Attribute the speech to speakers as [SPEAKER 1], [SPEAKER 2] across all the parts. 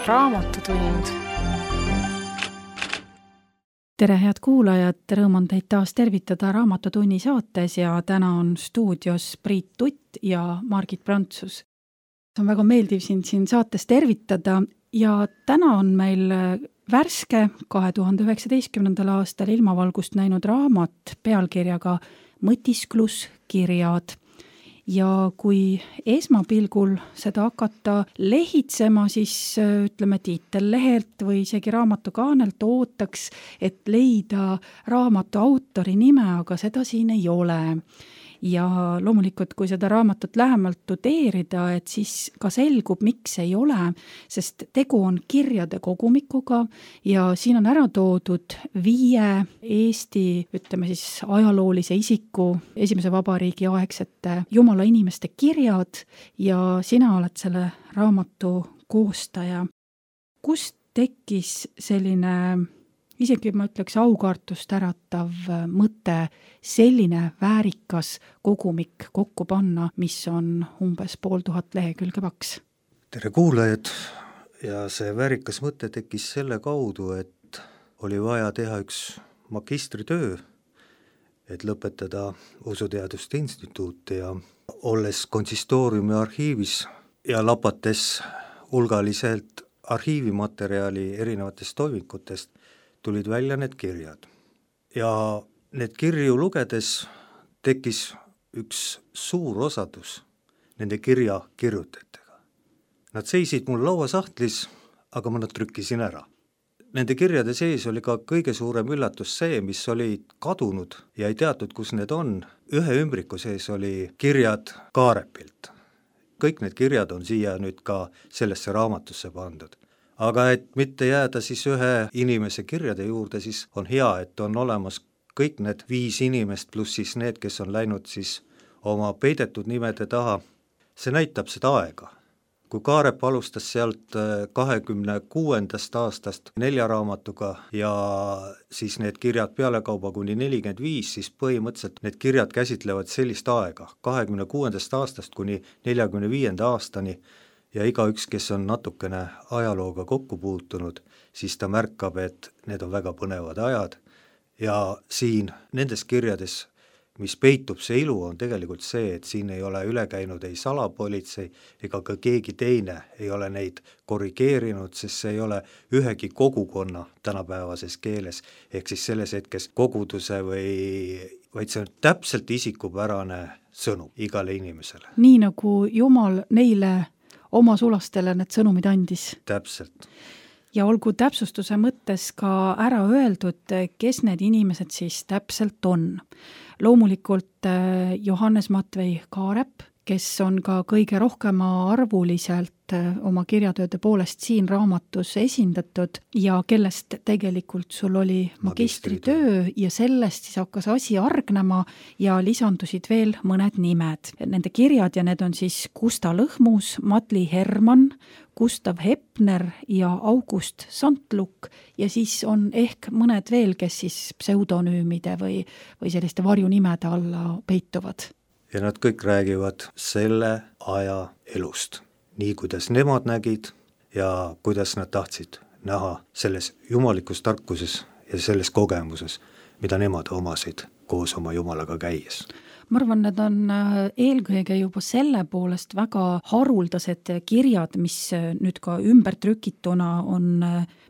[SPEAKER 1] Raamatutund.
[SPEAKER 2] Tere, head kuulajad, rõõm on teid taas tervitada Raamatutunni saates ja täna on stuudios Priit Tutt ja Margit Prantsus. On väga meeldiv sind siin saates tervitada ja täna on meil värske 2019. aastal ilmavalgust näinud raamat pealkirjaga Mõtiskluskirjad. Ja kui esmapilgul seda hakata lehitsema, siis ütleme tiitellehelt või isegi raamatukaanelt ootaks, et leida raamatu autori nime, aga seda siin ei ole. Ja loomulikult, kui seda raamatut lähemalt tudeerida, et siis ka selgub, miks ei ole, sest tegu on kirjade kogumikuga ja siin on ära toodud 5 Eesti, ütleme siis ajaloolise isiku esimese vabariigi aegsete jumala inimeste kirjad ja sina oled selle raamatu koostaja. Kust tekkis selline isegi ma ütleks aukartust äratav mõte selline väärikas kogumik kokku panna, mis on umbes 500 lehekülge paks?
[SPEAKER 3] Tere kuulajad! Ja see väärikas mõte tekkis selle kaudu, et oli vaja teha üks magistritöö, et lõpetada Usuteaduste Instituuti ja olles konsistooriumi arhiivis ja lapates hulgaliselt arhiivimaterjali erinevatest toimikutest, tulid välja need kirjad. Ja need kirju lugedes tekkis üks suur osadus nende kirja kirjutajatega. Nad seisid mul lauasahtlis, aga ma nad trükkisin ära. Nende kirjade sees oli ka kõige suurem üllatus see, mis olid kadunud ja ei teatud, kus need on. Ühe ümbriku sees oli kirjad Kaarepilt. Kõik need kirjad on siia nüüd ka sellesse raamatusse pandud. Aga et mitte jääda siis ühe inimese kirjade juurde, siis on hea, et on olemas kõik need 5 inimest pluss siis need, kes on läinud siis oma peidetud nimede taha. See näitab seda aega. Kui Kaarep alustas sealt 26. aastast 4 raamatuga ja siis need kirjad pealekauba kuni 45, siis põhimõtteliselt need kirjad käsitlevad sellist aega 26. aastast kuni 45. aastani. Ja igaüks, kes on natukene ajalooga kokku puutunud, siis ta märkab, et need on väga põnevad ajad. Ja siin nendes kirjades, mis peitub see ilu, on tegelikult see, et siin ei ole üle käinud ei salapolitsei ega ka keegi teine ei ole neid korrigeerinud, sest see ei ole ühegi kogukonna tänapäevases keeles, ehk siis selles hetkes koguduse vaid see on täpselt isikupärane sõnum igale inimesele.
[SPEAKER 2] Nii nagu Jumal neile oma sulastele need sõnumid andis.
[SPEAKER 3] Täpselt.
[SPEAKER 2] Ja olgu täpsustuse mõttes ka ära öeldud, kes need inimesed siis täpselt on. Loomulikult Johannes Matvei Kaarep, kes on ka kõige rohkema arvuliselt oma kirjatööde poolest siin raamatus esindatud ja kellest tegelikult sul oli magistritöö ja sellest siis hakkas asi argnema ja lisandusid veel mõned nimed. Nende kirjad ja need on siis Gusta Lõhmus, Matli Herman, Gustav Hepner ja August Santluk ja siis on ehk mõned veel, kes siis pseudonüümide või selliste varjunimede alla peituvad.
[SPEAKER 3] Ja nad kõik räägivad selle aja elust. Nii, kuidas nemad nägid ja kuidas nad tahtsid näha selles jumalikus tarkuses ja selles kogemuses, mida nemad omasid koos oma Jumalaga käies.
[SPEAKER 2] Ma arvan, need on eelkõige juba selle poolest väga haruldased kirjad, mis nüüd ka ümbertrükituna on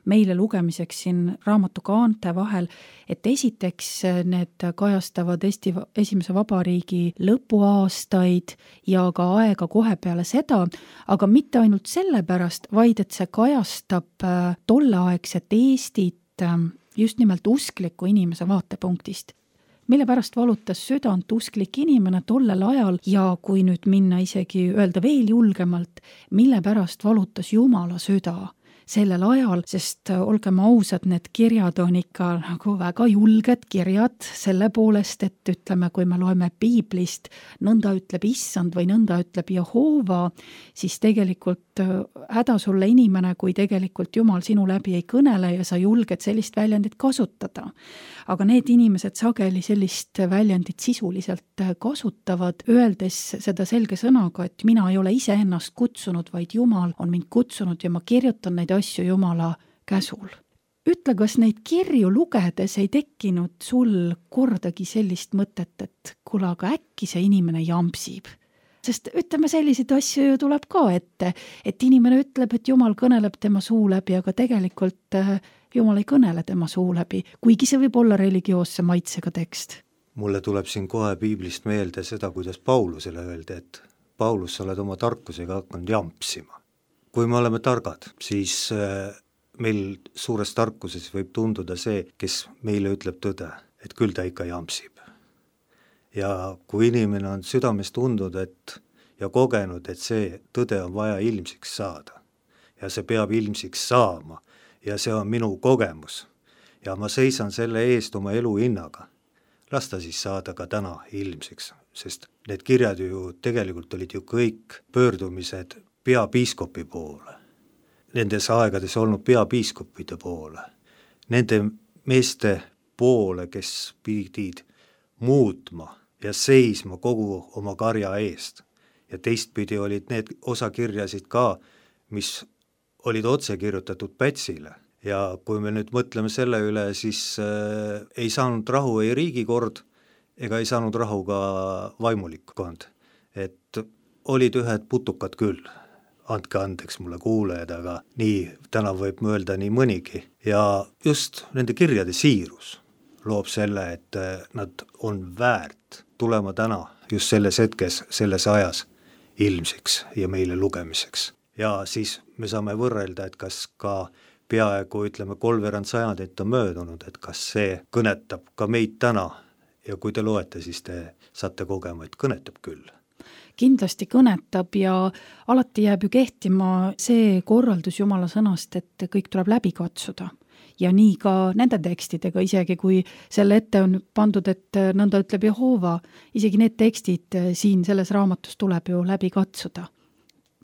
[SPEAKER 2] meile lugemiseks siin raamatukaante vahel, et esiteks need kajastavad Eesti esimese vabariigi lõpuaastaid ja ka aega kohe peale seda, aga mitte ainult sellepärast, vaid et see kajastab tolleaegset Eestit just nimelt uskliku inimese vaatepunktist. Mille pärast valutas südant usklik inimene tollel ajal ja kui nüüd minna isegi öelda veel julgemalt, mille pärast valutas Jumala süda sellel ajal, sest olgem ausad, need kirjad on ikka nagu väga julged kirjad selle poolest, et ütleme, kui me loeme piiblist, nõnda ütleb Issand või nõnda ütleb Jehoova, siis tegelikult häda sulle inimene, kui tegelikult Jumal sinu läbi ei kõnele ja sa julged sellist väljendit kasutada. Aga need inimesed sageli sellist väljendit sisuliselt kasutavad, öeldes seda selge sõnaga, et mina ei ole ise ennast kutsunud, vaid Jumal on mind kutsunud ja ma kirjutan neid asju Jumala käsul. Ütle, kas neid kirju lugedes ei tekkinud sul kordagi sellist mõtet, et kuule, aga äkki see inimene jampsib? Sest ütleme, selliseid asju ju tuleb ka ette, et inimene ütleb, et Jumal kõneleb tema suu läbi, aga tegelikult Jumal ei kõnele tema suu läbi, kuigi see võib olla religioosse maitsega tekst.
[SPEAKER 3] Mulle tuleb siin kohe piiblist meelde seda, kuidas Paulusele öeldi, et Paulus, sa oled oma tarkusega hakanud jampsima. Kui me oleme targad, siis meil suures tarkuses võib tunduda see, kes meile ütleb tõde, et küll ta ikka jampsib. Ja kui inimene on südames tundnud ja kogenud, et see tõde on vaja ilmsiks saada ja see peab ilmsiks saama ja see on minu kogemus ja ma seisan selle eest oma elu hinnaga, las ta siis saada ka täna ilmsiks, sest need kirjad ju tegelikult olid ju kõik pöördumised peapiiskopi poole, nendes aegades olnud peapiiskopide poole, nende meeste poole, kes pidid muutma ja seisma kogu oma karja eest. Ja teistpidi olid need osakirjasid ka, mis olid otse kirjutatud Pätsile. Ja kui me nüüd mõtleme selle üle, siis ei saanud rahu ei riigikord ega ei saanud rahu ka vaimulikkond. Et olid ühed putukad küll, andke andeks mulle kuulajad, aga nii täna võib mõelda nii mõnigi. Ja just nende kirjade siirus loob selle, et nad on väärt tulema täna just selles hetkes, selles ajas ilmsiks ja meile lugemiseks. Ja siis me saame võrrelda, et kas ka peaaegu, ütleme, 3 sajandit on möödunud, et kas see kõnetab ka meid täna ja kui te loete, siis te saate kogema, et kõnetab küll.
[SPEAKER 2] Kindlasti kõnetab ja alati jääb ju kehtima see korraldus Jumala sõnast, et kõik tuleb läbi katsuda. Ja nii ka nende tekstidega, isegi kui selle ette on pandud, et nõnda ütleb Jehova, isegi need tekstid siin selles raamatus tuleb ju läbi katsuda.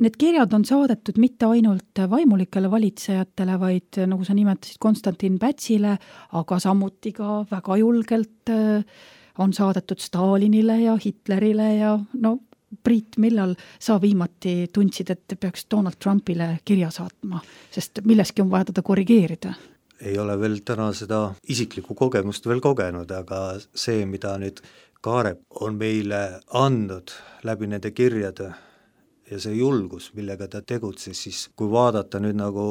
[SPEAKER 2] Need kirjad on saadetud mitte ainult vaimulikele valitsejatele, vaid nagu sa nimetasid Konstantin Pätsile, aga samuti ka väga julgelt on saadetud Stalinile ja Hitlerile ja no Priit, millal sa viimati tundsid, et peaks Donald Trumpile kirja saatma, sest milleski on vaja teda korrigeerida?
[SPEAKER 3] Ei ole veel täna seda isiklikku kogemust veel kogenud, aga see, mida nüüd Kaarep on meile andnud läbi nende kirjade ja see julgus, millega ta tegutses, siis kui vaadata nüüd nagu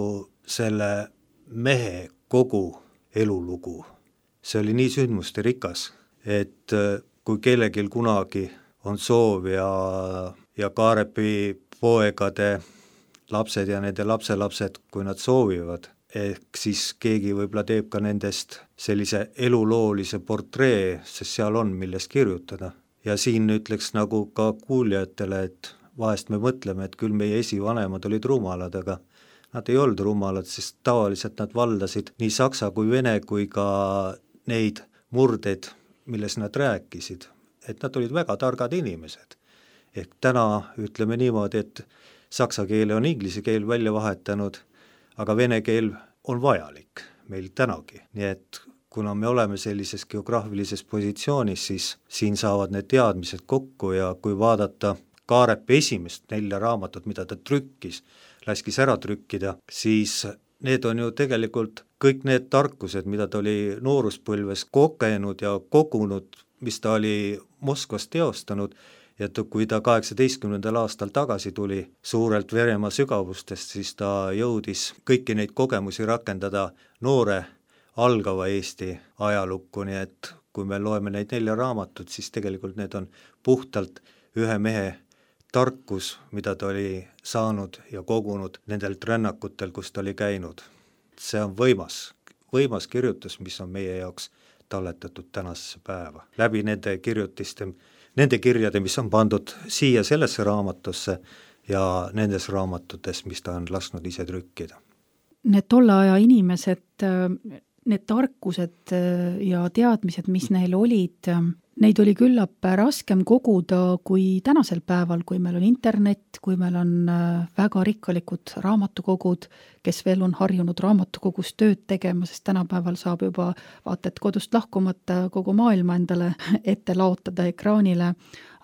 [SPEAKER 3] selle mehe kogu elulugu, see oli nii sündmuste rikas, et kui kellelgi kunagi on soov ja Kaarepi poegade lapsed ja nende lapselapsed, kui nad soovivad, ehk siis keegi võib-olla teeb ka nendest sellise eluloolise portree, sest seal on millest kirjutada. Ja siin ütleks nagu ka kuuljatele, et vahest me mõtleme, et küll meie esivanemad olid rumalad, aga nad ei olnud rumalad, sest tavaliselt nad valdasid nii saksa kui vene kui ka neid murdeid, milles nad rääkisid, et nad olid väga targad inimesed. Ehk täna ütleme niimoodi, et saksa keele on inglise keel välja vahetanud, aga vene keel on vajalik meil tänagi. Nii et kuna me oleme sellises geograafilises positsioonis, siis siin saavad need teadmised kokku ja kui vaadata Kaarepi esimest 4 raamatut, mida ta trükkis, laskis ära trükkida, siis need on ju tegelikult kõik need tarkused, mida ta oli nooruspõlves kogenud ja kogunud, mis ta oli Moskvas teostanud, ja kui ta 18. aastal tagasi tuli suurelt Venemaa sügavustest, siis ta jõudis kõiki neid kogemusi rakendada noore algava Eesti ajalukku, nii et kui me loeme neid 4 raamatut, siis tegelikult need on puhtalt ühe mehe tarkus, mida ta oli saanud ja kogunud nendelt rännakutel, kus ta oli käinud. See on võimas kirjutus, mis on meie jaoks talletatud tänasesse päeva. Läbi nende kirjade, mis on pandud siia sellesse raamatusse ja nendes raamatutes, mis ta on lasknud ise trükkida.
[SPEAKER 2] Need tolle aja inimesed, need tarkused ja teadmised, mis neil olid, Neid oli küllap raskem koguda kui tänasel päeval, kui meil on internet, kui meil on väga rikkalikud raamatukogud, kes veel on harjunud raamatukogus tööd tegema, sest tänapäeval saab juba vaata, et kodust lahkumata kogu maailma endale ette laotada ekraanile,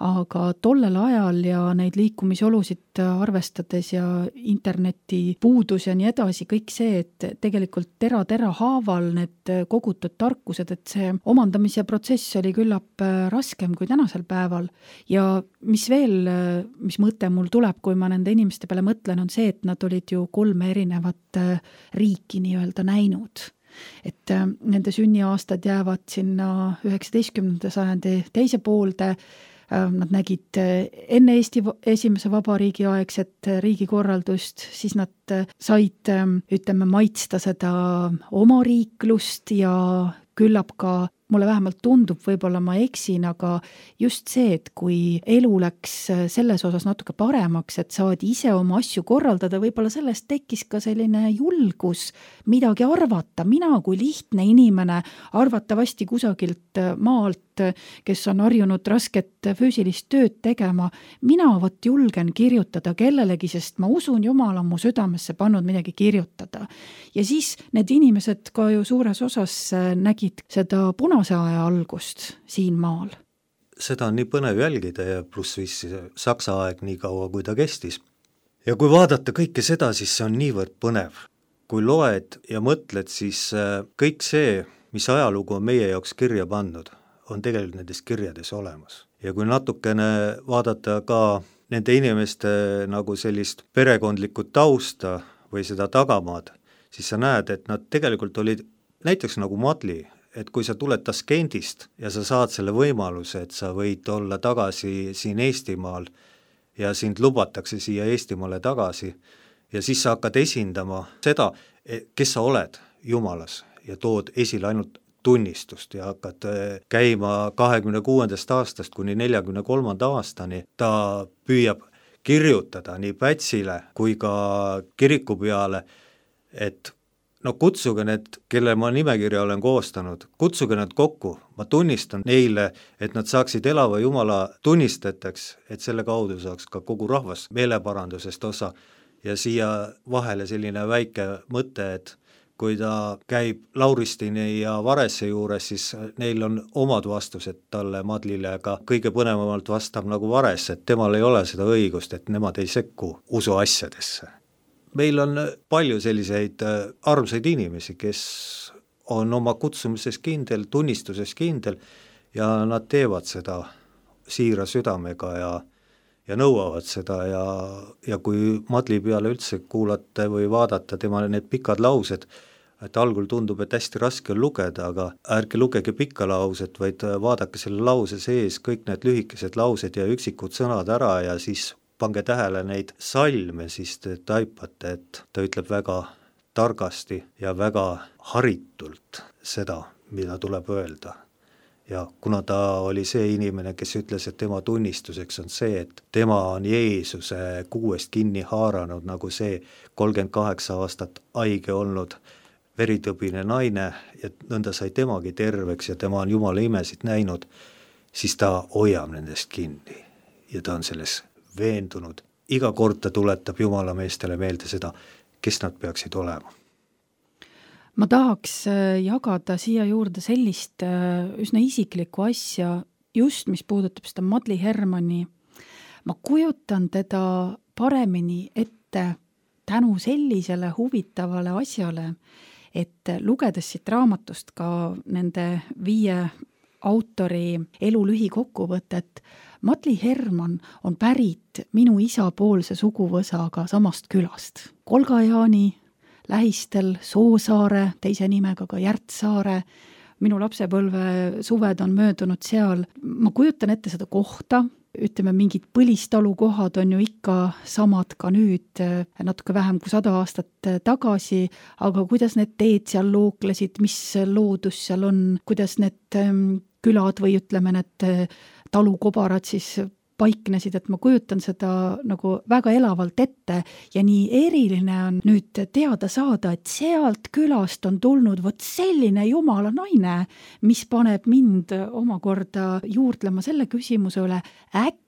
[SPEAKER 2] aga tollel ajal ja neid liikumisolusid arvestades ja interneti puudus ja nii edasi, kõik see, et tegelikult tera haaval need kogutud tarkused, et see omandamise protsess oli küllap raskem kui tänasel päeval. Ja mis veel, mis mõte mul tuleb, kui ma nende inimeste peale mõtlen, on see, et nad olid ju 3 erinevat riiki nii-öelda näinud. Et nende sünniaastad jäävad sinna 19. sajandi teise poolde. Nad nägid enne Eesti esimese vabariigi aegset riigikorraldust, siis nad said, ütleme, maitsta seda omariiklust ja küllap ka, mulle vähemalt tundub, võib-olla ma eksin, aga just see, et kui elu läks selles osas natuke paremaks, et saadi ise oma asju korraldada, võib-olla sellest tekkis ka selline julgus midagi arvata. Mina kui lihtne inimene arvatavasti kusagilt maalt, kes on harjunud rasket füüsilist tööd tegema, mina julgen kirjutada kellelegi, sest ma usun, Jumal on mu südamesse pannud midagi kirjutada. Ja siis need inimesed ka ju suures osas nägid seda punase aja algust siin maal.
[SPEAKER 3] Seda on nii põnev jälgida ja pluss viis Saksa aeg nii kaua, kui ta kestis. Ja kui vaadata kõike seda, siis see on niivõrd põnev. Kui loed ja mõtled, siis kõik see, mis ajalugu on meie jaoks kirja pandud, on tegelikult nendes kirjades olemas. Ja kui natukene vaadata ka nende inimeste nagu sellist perekondlikku tausta või seda tagamaad, siis sa näed, et nad tegelikult olid näiteks nagu Madli, et kui sa tuled Taskendist ja sa saad selle võimaluse, et sa võid olla tagasi siin Eestimaal ja sind lubatakse siia Eestimaale tagasi ja siis sa hakkad esindama seda, kes sa oled Jumalas ja tood esile ainult tunnistust ja hakkad käima 26. aastast kuni 43. aastani. Ta püüab kirjutada nii Pätsile kui ka kiriku peale, et no kutsuge need, kelle ma nimekirja olen koostanud, kutsuge nad kokku, ma tunnistan neile, et nad saaksid elava Jumala tunnistajateks, et selle kaudu saaks ka kogu rahvas meeleparandusest osa. Ja siia vahele selline väike mõte, et kui ta käib Lauristini ja Varesse juures, siis neil on omad vastused talle Madlile, aga kõige põnevamalt vastab nagu Vares, et temal ei ole seda õigust, et nemad ei sekku usu asjadesse. Meil on palju selliseid armsaid inimesi, kes on oma kutsumises kindel, tunnistuses kindel ja nad teevad seda siira südamega ja nõuavad seda ja kui Madli peale üldse kuulata või vaadata tema need pikad laused, et algul tundub, et hästi raske on lugeda, aga ärge lugege pikka lauset, vaid vaadake selle lause sees kõik need lühikesed laused ja üksikud sõnad ära ja siis pange tähele neid salme, siis te taipate, et ta ütleb väga targasti ja väga haritult seda, mida tuleb öelda. Ja kuna ta oli see inimene, kes ütles, et tema tunnistuseks on see, et tema on Jeesuse kuuest kinni haaranud, nagu see 38 aastat haige olnud veritõbine naine ja nõnda sai temagi terveks ja tema on Jumala imesid näinud, siis ta hoiab nendest kinni ja ta on selles veendunud. Iga kord ta tuletab Jumala meestele meelde seda, kes nad peaksid olema.
[SPEAKER 2] Ma tahaks jagada siia juurde sellist üsna isiklikku asja, just mis puudutab seda Madli Hermanni. Ma kujutan teda paremini ette tänu sellisele huvitavale asjale, et lugedes siit raamatust ka nende 5 autori elu lühikokkuvõtet, Madli Hermann on pärit minu isapoolse suguvõsaga samast külast. Kolgajaani lähistel Soosaare, teise nimega ka Järtsaare. Minu lapsepõlve suved on möödunud seal. Ma kujutan ette seda kohta, ütleme, mingid põlistalukohad on ju ikka samad ka nüüd, natuke vähem kui 100 aastat tagasi, aga kuidas need teed seal looklesid, mis loodus seal on, kuidas need külad või ütleme, need talukobarad siis paiknesid, et ma kujutan seda nagu väga elavalt ette ja nii eriline on nüüd teada saada, et sealt külast on tulnud vot selline jumala naine, mis paneb mind omakorda juurdlema selle küsimuse üle, äkki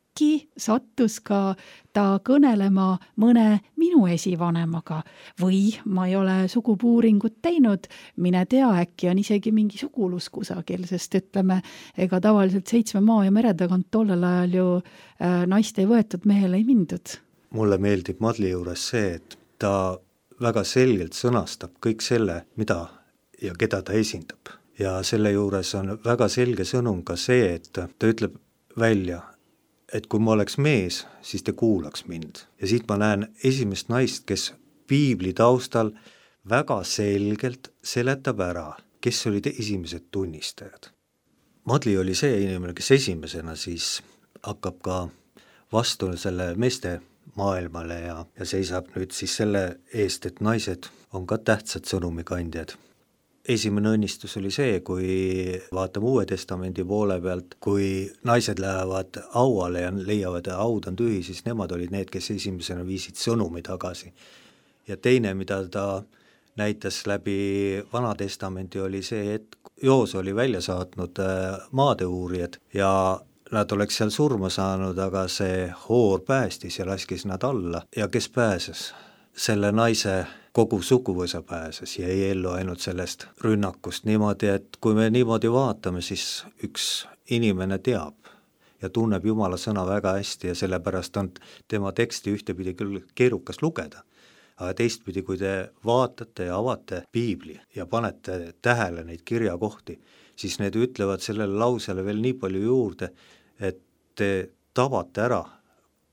[SPEAKER 2] sattus ka ta kõnelema mõne minu esivanemaga või ma ei ole sugupuuringut teinud, mine tea, äkki on isegi mingi sugulus kusagil, sest ütleme, ega tavaliselt 7 maa ja mere tagant tollel ajal ju naist ei võetud, mehele ei mindud.
[SPEAKER 3] Mulle meeldib Madli juures see, et ta väga selgelt sõnastab kõik selle, mida ja keda ta esindab. Ja selle juures on väga selge sõnum ka see, et ta ütleb välja, et kui ma oleks mees, siis te kuulaks mind. Ja siit ma näen esimest naist, kes piibli taustal väga selgelt seletab ära, kes olid esimesed tunnistajad. Madli oli see inimene, kes esimesena siis hakkab ka vastu selle meeste maailmale ja seisab nüüd siis selle eest, et naised on ka tähtsad sõnumikandjad. Esimene õnnistus oli see, kui vaatame Uue Testamendi poole pealt, kui naised lähevad auale ja leiavad, et haud on tühi, siis nemad olid need, kes esimesena viisid sõnumi tagasi. Ja teine, mida ta näitas läbi Vana Testamenti, oli see, et Joos oli välja saatnud maadeuurijad ja nad oleks seal surma saanud, aga see hoor päästis ja laskis nad alla. Ja kes pääses? Selle naise kogu suguvõsa pääses ja ei ellu ainult sellest rünnakust niimoodi, et kui me niimoodi vaatame, siis üks inimene teab ja tunneb Jumala sõna väga hästi ja sellepärast on tema teksti ühtepidi küll keerukas lugeda. Aga teistpidi, kui te vaatate ja avate piibli ja panete tähele neid kirjakohti, siis need ütlevad sellele lausele veel nii palju juurde, et te tabate ära,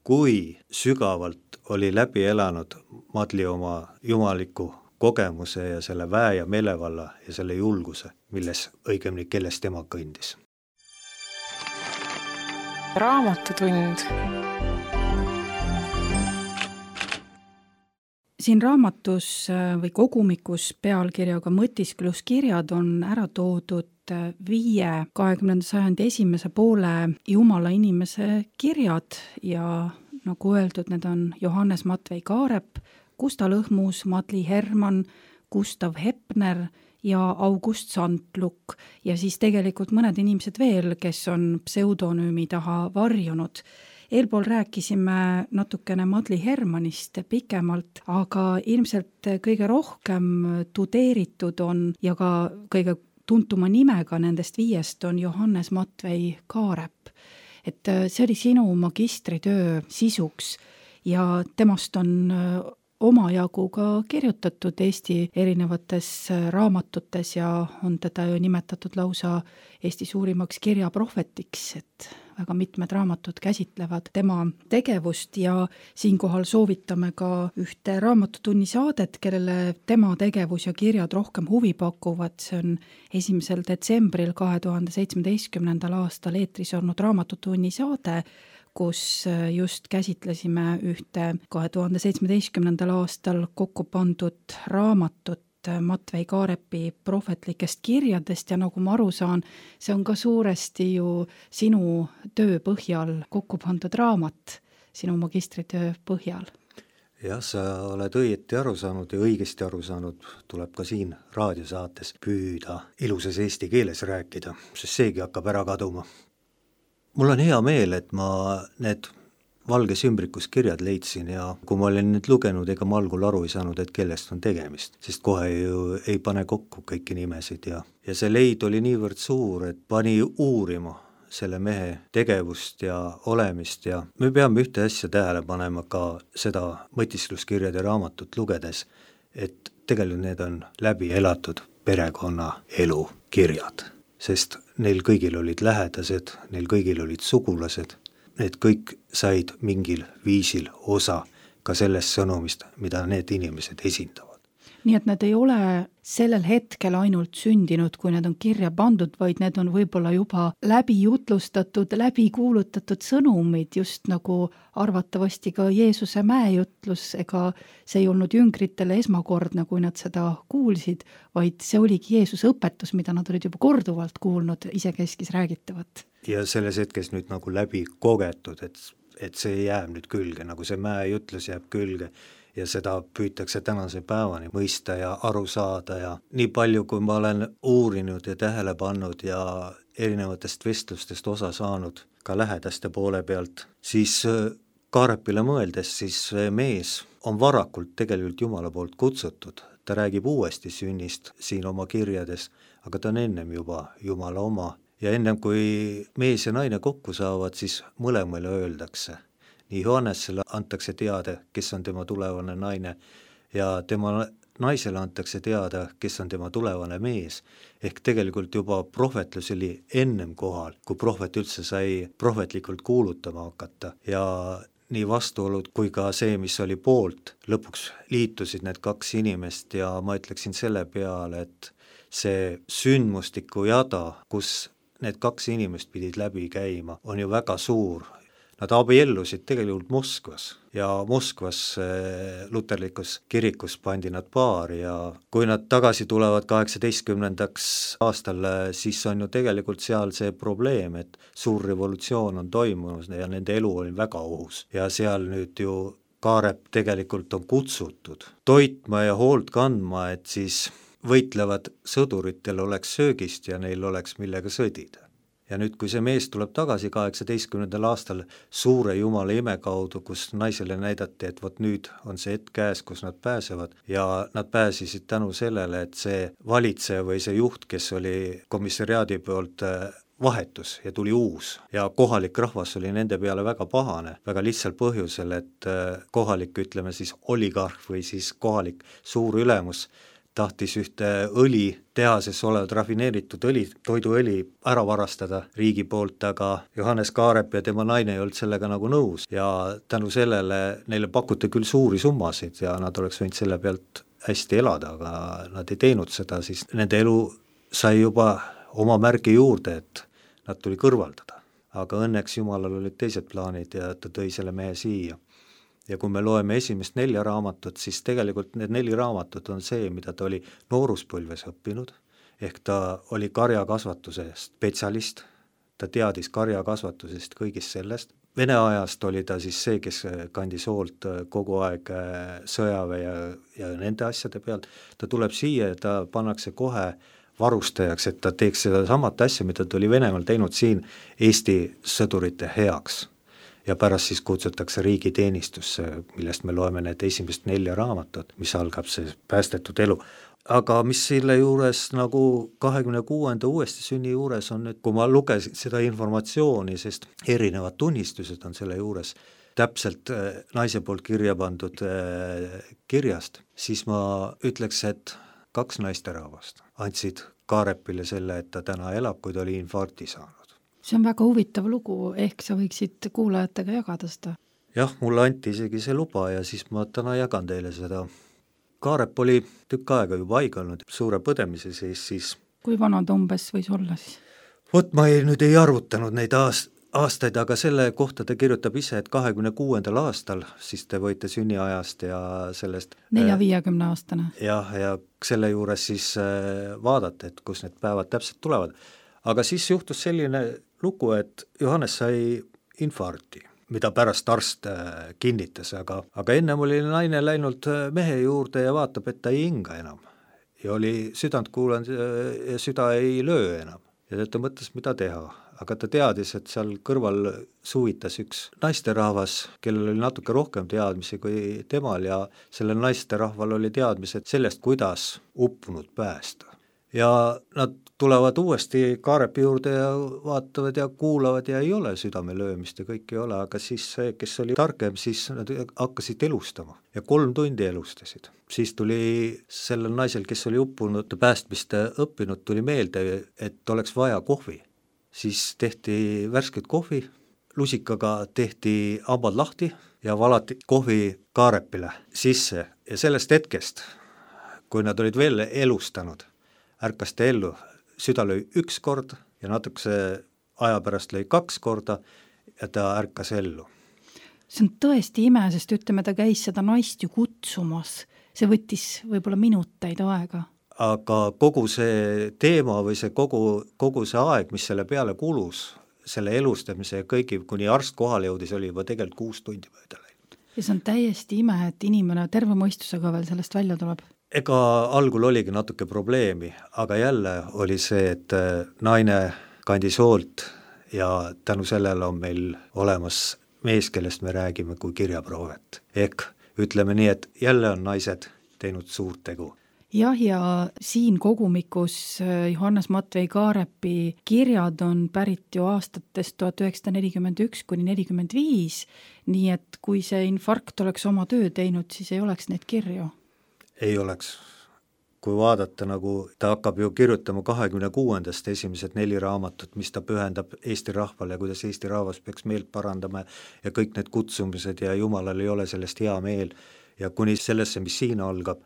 [SPEAKER 3] kui sügavalt oli läbi elanud Madli oma jumaliku kogemuse ja selle väe ja meelevalla ja selle julguse, milles õigemini, kelles tema kõndis.
[SPEAKER 1] Raamatutund.
[SPEAKER 2] Siin raamatus või kogumikus pealkirjaga mõtiskluskirjad on ära toodud 5 20. sajandi esimese poole Jumala inimese kirjad ja nagu öeldud, need on Johannes Matvei Kaarep, Gustav Lõhmus, Madli Hermann, Gustav Hepner ja August Sandluk ja siis tegelikult mõned inimesed veel, kes on pseudonüümi taha varjunud. Eelpool rääkisime natukene Madli Hermannist pikemalt, aga ilmselt kõige rohkem tudeeritud on ja ka kõige tuntuma nimega nendest 5 on Johannes Matvei Kaarep. Et see oli sinu magistritöö sisuks ja temast on omajagu ka kirjutatud Eesti erinevates raamatutes ja on teda ju nimetatud lausa Eesti suurimaks kirjaprohvetiks, et väga mitmed raamatud käsitlevad tema tegevust ja siinkohal soovitame ka ühte raamatutunni saadet, kellele tema tegevus ja kirjad rohkem huvi pakuvad. See on 1. detsembril 2017. aastal eetris olnud raamatutunni saade, kus just käsitlesime ühte 2017. aastal kokku pandud raamatut Matvei Kaarepi prohvetlikest kirjadest ja nagu ma aru saan, see on ka suuresti ju sinu töö põhjal kokku pandud raamat, sinu magistritöö põhjal.
[SPEAKER 3] Jah, sa oled õieti aru saanud ja õigesti aru saanud, tuleb ka siin raadiosaates püüda ilusas eesti keeles rääkida, sest seegi hakkab ära kaduma. Mul on hea meel, et ma need valges ümbrikus kirjad leidsin ja kui ma olin nüüd lugenud, ega ma algul aru ei saanud, et kellest on tegemist, sest kohe ju ei pane kokku kõiki nimesid ja see leid oli niivõrd suur, et pani uurima selle mehe tegevust ja olemist ja me peame ühte asja tähele panema ka seda mõtiskluskirjade raamatut lugedes, et tegelikult need on läbi elatud perekonna elu kirjad, sest neil kõigil olid lähedased, neil kõigil olid sugulased, need kõik said mingil viisil osa ka sellest sõnumist, mida need inimesed esindavad.
[SPEAKER 2] nii et need ei ole sellel hetkel ainult sündinud, kui need on kirja pandud, vaid need on võib-olla juba läbi jutlustatud, läbi kuulutatud sõnumid, just nagu arvatavasti ka Jeesuse mäejutlus, ega see ei olnud jüngritele esmakordne, kui nad seda kuulsid, vaid see oligi Jeesuse õpetus, mida nad olid juba korduvalt kuulnud isekeskis räägitavat.
[SPEAKER 3] Ja selles hetkes nüüd nagu läbi kogetud, et see jääb nüüd külge, nagu see mäejutlus jääb külge ja seda püütakse tänase päevani mõista ja aru saada ja nii palju, kui ma olen uurinud ja tähele pannud ja erinevatest vestlustest osa saanud ka lähedaste poole pealt, siis Kaarepile mõeldes, siis mees on varakult tegelikult Jumala poolt kutsutud. Ta räägib uuesti sünnist siin oma kirjades, aga ta on ennem juba Jumala oma. Ja ennem kui mees ja naine kokku saavad, siis mõlemale öeldakse. Nii Johannesele antakse teada, kes on tema tulevane naine ja tema naisele antakse teada, kes on tema tulevane mees. Ehk tegelikult juba prohvetlus oli ennem kohal, kui prohvet üldse sai prohvetlikult kuulutama hakata ja nii vastuolud kui ka see, mis oli poolt, lõpuks liitusid need kaks inimest ja ma ütleksin selle peale, et see sündmustiku jada, kus need kaks inimest pidid läbi käima, on ju väga suur. Nad abiellusid tegelikult Moskvas ja Moskvas luterlikus kirikus pandi nad paari ja kui nad tagasi tulevad 18. aastal, siis on ju tegelikult seal see probleem, et suur revolutsioon on toimunud ja nende elu oli väga ohus ja seal nüüd ju Kaarep tegelikult on kutsutud toitma ja hoolt kandma, et siis võitlevad sõduritel oleks söögist ja neil oleks millega sõdida. Ja nüüd, kui see mees tuleb tagasi 18. aastal suure Jumala ime kaudu, kus naisele näidati, et vot nüüd on see hetk käes, kus nad pääsevad ja nad pääsisid tänu sellele, et see valitseja või see juht, kes oli komissariaadi poolt vahetus ja tuli uus ja kohalik rahvas oli nende peale väga pahane, väga lihtsal põhjusel, et kohalik, ütleme siis oligarh või siis kohalik suur ülemus tahtis ühte õlitehases olevat rafineeritud toiduõli ära varastada riigi poolt, aga Johannes Kaarep ja tema naine ei olnud sellega nagu nõus ja tänu sellele neile pakuti küll suuri summasid ja nad oleks võinud selle pealt hästi elada, aga nad ei teinud seda, siis nende elu sai juba oma märgi juurde, et nad tuli kõrvaldada. Aga õnneks Jumalal olid teised plaanid ja ta tõi selle mehe siia. Ja kui me loeme esimest 4 raamatut, siis tegelikult need 4 raamatut on see, mida ta oli nooruspõlves õppinud, ehk ta oli karjakasvatuse spetsialist, ta teadis karjakasvatusest kõigist sellest. Vene ajast oli ta siis see, kes kandis hoolt kogu aeg sõjaväe ja nende asjade pealt. Ta tuleb siia ja ta pannakse kohe varustajaks, et ta teeks seda samat asja, mida ta oli Venemaal teinud siin Eesti sõdurite heaks. Ja pärast siis kutsutakse riigiteenistusse, millest me loeme need esimest 4 raamatut, mis algab see päästetud elu. Aga mis selle juures nagu 26. uuesti sünni juures on nüüd, kui ma lugesin seda informatsiooni, sest erinevad tunnistused on selle juures täpselt naise poolt kirja pandud kirjast, siis ma ütleks, et 2 naisterahvast andsid Kaarepile selle, et ta täna elab, kui ta oli infarkti saanud.
[SPEAKER 2] See on väga huvitav lugu, ehk sa võiksid kuulajatega jagada seda?
[SPEAKER 3] Jah, mulle anti isegi see luba ja siis ma täna jagan teile seda. Kaarep oli tükk aega juba haiganud suure põdemise siis.
[SPEAKER 2] Kui vana ta umbes võis olla siis?
[SPEAKER 3] Vot ma nüüd ei arvutanud neid aastaid, aga selle kohta ta kirjutab ise, et 26. aastal, siis te võite sünniajast ja sellest
[SPEAKER 2] 4-50 aastane.
[SPEAKER 3] Ja selle juures siis vaadata, et kus need päevad täpselt tulevad. Aga siis juhtus selline lugu, et Johannes sai infarkti, mida pärast arst kinnitas, aga ennem oli naine läinud mehe juurde ja vaatab, et ta ei hinga enam. Ja oli südant kuulanud ja süda ei löö enam. Ja ta mõtles, mida teha. Aga ta teadis, et seal kõrval suvitas üks naisterahvas, kellel oli natuke rohkem teadmisi kui temal ja sellel naisterahval oli teadmised sellest, kuidas uppunud päästa. Ja nad tulevad uuesti Kaarepi juurde ja vaatavad ja kuulavad ja ei ole südame löömist ja kõik ei ole, aga siis see, kes oli targem, siis nad hakkasid elustama ja 3 tundi elustasid. Siis tuli sellel naisel, kes oli uppunud päästmist õppinud, tuli meelde, et oleks vaja kohvi. Siis tehti värsket kohvi, lusikaga tehti hambad lahti ja valati kohvi Kaarepile sisse ja sellest hetkest, kui nad olid veel elustanud, ärkas ta ellu, süda lõi 1 kord ja natukese aja pärast lõi 2 korda ja ta ärkas ellu.
[SPEAKER 2] See on tõesti ime, sest ütleme, ta käis seda naist ju kutsumas, see võttis võib-olla minuteid aega.
[SPEAKER 3] Aga kogu see teema või see kogu see aeg, mis selle peale kulus, selle elustamise ja kõigi, kuni arst kohale jõudis, oli juba tegelikult 6 tundi mööda läinud.
[SPEAKER 2] Ja see on täiesti ime, et inimene terve mõistusega veel sellest välja tuleb.
[SPEAKER 3] Ega algul oligi natuke probleemi, aga jälle oli see, et naine kandis hoolt ja tänu sellele on meil olemas mees, kellest me räägime kui kirjaproovet. Ehk ütleme nii, et jälle on naised teinud suurt tegu.
[SPEAKER 2] Jah, ja siin kogumikus Johannes Matvei Kaarepi kirjad on pärit ju aastatest 1941 kuni 45, nii et kui see infarkt oleks oma töö teinud, siis ei oleks neid kirju.
[SPEAKER 3] Ei oleks. Kui vaadata, nagu ta hakkab ju kirjutama 26. esimesed 4 raamatut, mis ta pühendab Eesti rahvale ja kuidas Eesti rahvas peaks meelt parandama ja kõik need kutsumised ja Jumalal ei ole sellest hea meel ja kuni sellesse, mis siin algab,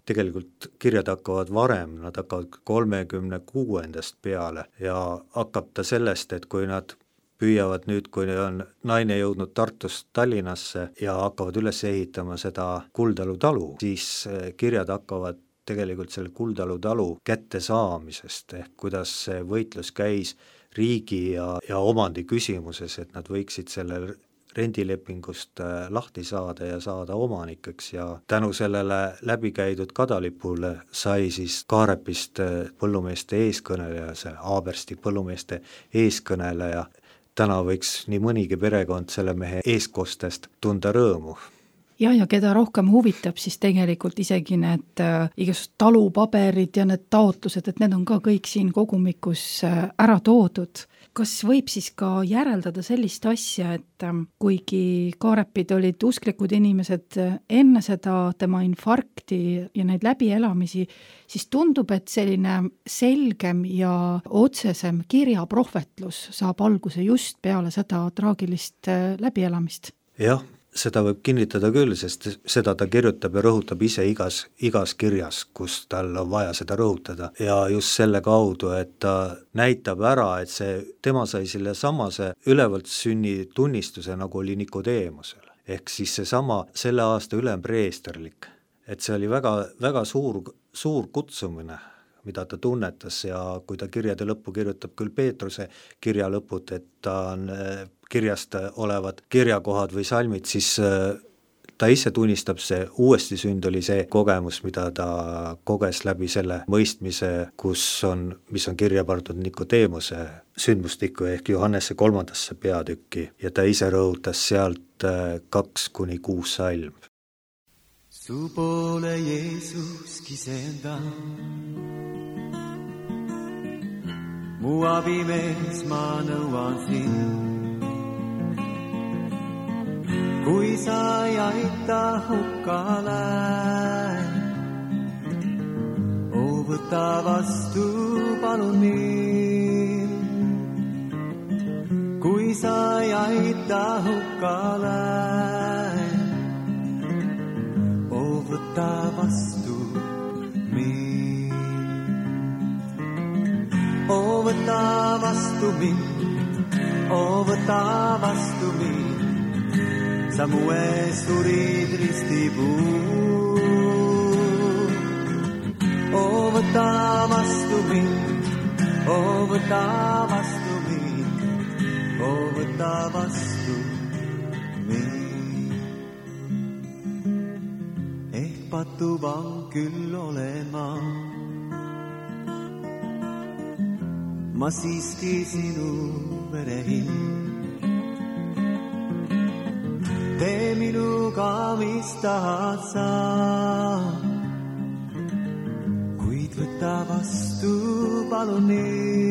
[SPEAKER 3] tegelikult kirjad hakkavad varem, nad hakkavad 36. peale ja hakkab ta sellest, et kui nad püüavad nüüd, kui on naine jõudnud Tartust Tallinnasse ja hakkavad üles ehitama seda Kuldalu talu, siis kirjad hakkavad tegelikult selle Kuldalu talu kätte saamisest, ehk kuidas see võitlus käis riigi ja omandi küsimuses, et nad võiksid selle rendilepingust lahti saada ja saada omanikeks ja tänu sellele läbikäidud kadalipule sai siis Kaarepist põllumeeste eeskõneleja, see Aabersti põllumeeste eeskõneleja. Täna võiks nii mõnigi perekond selle mehe eeskostest tunda rõõmu.
[SPEAKER 2] Ja keda rohkem huvitab, siis tegelikult isegi need igasugused talupaberid ja need taotlused, et need on ka kõik siin kogumikus ära toodud. Kas võib siis ka järeldada sellist asja, et kuigi Kaarepid olid usklikud inimesed enne seda tema infarkti ja neid läbielamisi, siis tundub, et selline selgem ja otsesem kirjaprohvetlus saab alguse just peale seda traagilist läbielamist.
[SPEAKER 3] Jah, seda võib kinnitada küll, sest seda ta kirjutab ja rõhutab ise igas kirjas, kus tal on vaja seda rõhutada. Ja just selle kaudu, et ta näitab ära, et tema sai selle samase ülevalt sünni tunnistuse, nagu oli Nikodeemusel. Ehk siis selle aasta ülempreesterlik. Et see oli väga, väga suur kutsumine, mida ta tunnetas ja kui ta kirjade lõppu kirjutab küll Peetruse kirja lõput, et ta on kirjast olevad kirjakohad või salmid, siis ta ise tunnistab, see uuesti sünd oli see kogemus, mida ta koges läbi selle mõistmise, mis on kirja pandud Nikodeemuse sündmustikku ehk Johannese 3. peatükki ja ta ise rõhutas sealt 2-6 salm.
[SPEAKER 4] Su poole Jeesus kisenda, mu abimees ma nõuan sind. Kui sa ei aita hukkale, võta vastu palun mind. Kui sa ei aita hukkale, võta vastu mind. Võta vastu mind, võta vastu mind. Sa mu ees surid ristipuu. Võta vastu mind, võta vastu mind, võta vastu mind. Ehk patuvang küll olen ma siiski sinu verehind. Tee minuga, mis tahad sa, kuid võta vastu palun mind.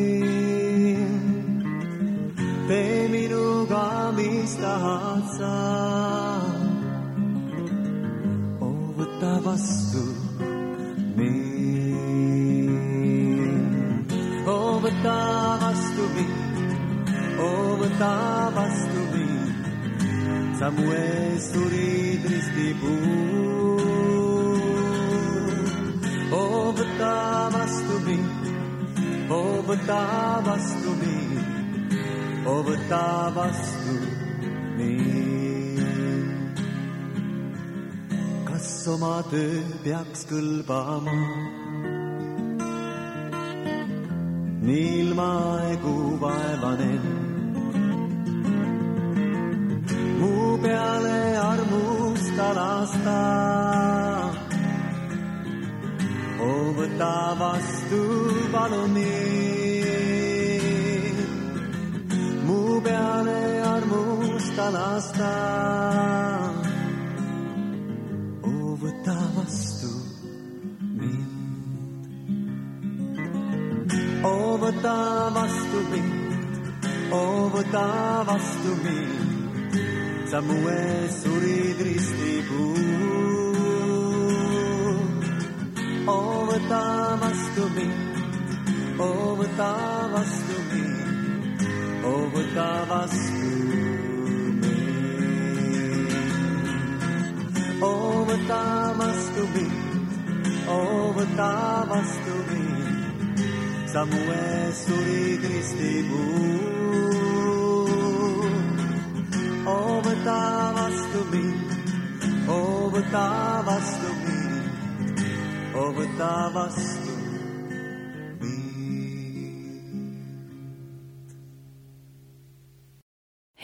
[SPEAKER 4] Tee minuga, mis tahad sa, võta vastu mind. Võta vastu mind, võta vastu mind. Sa mu ees surid ristipuu. võta vastu mind, võta vastu mind, võta vastu mind. Kas oma töö peaks kõlbama nii ilmaegu vaevanen? Mu peale armusta lasta, võta vastu palun mind. Mu peale armusta lasta, võta vastu mind. Võta vastu mind, võta vastu mind, sa mu ees surid ristipuu. Võta vastu mind, võta vastu mind, võta vastu mind. Võta vastu mind, võta vastu mind, sa mu ees surid ristipuu. Võta vastu mind, võta vastu mind, võta vastu mind.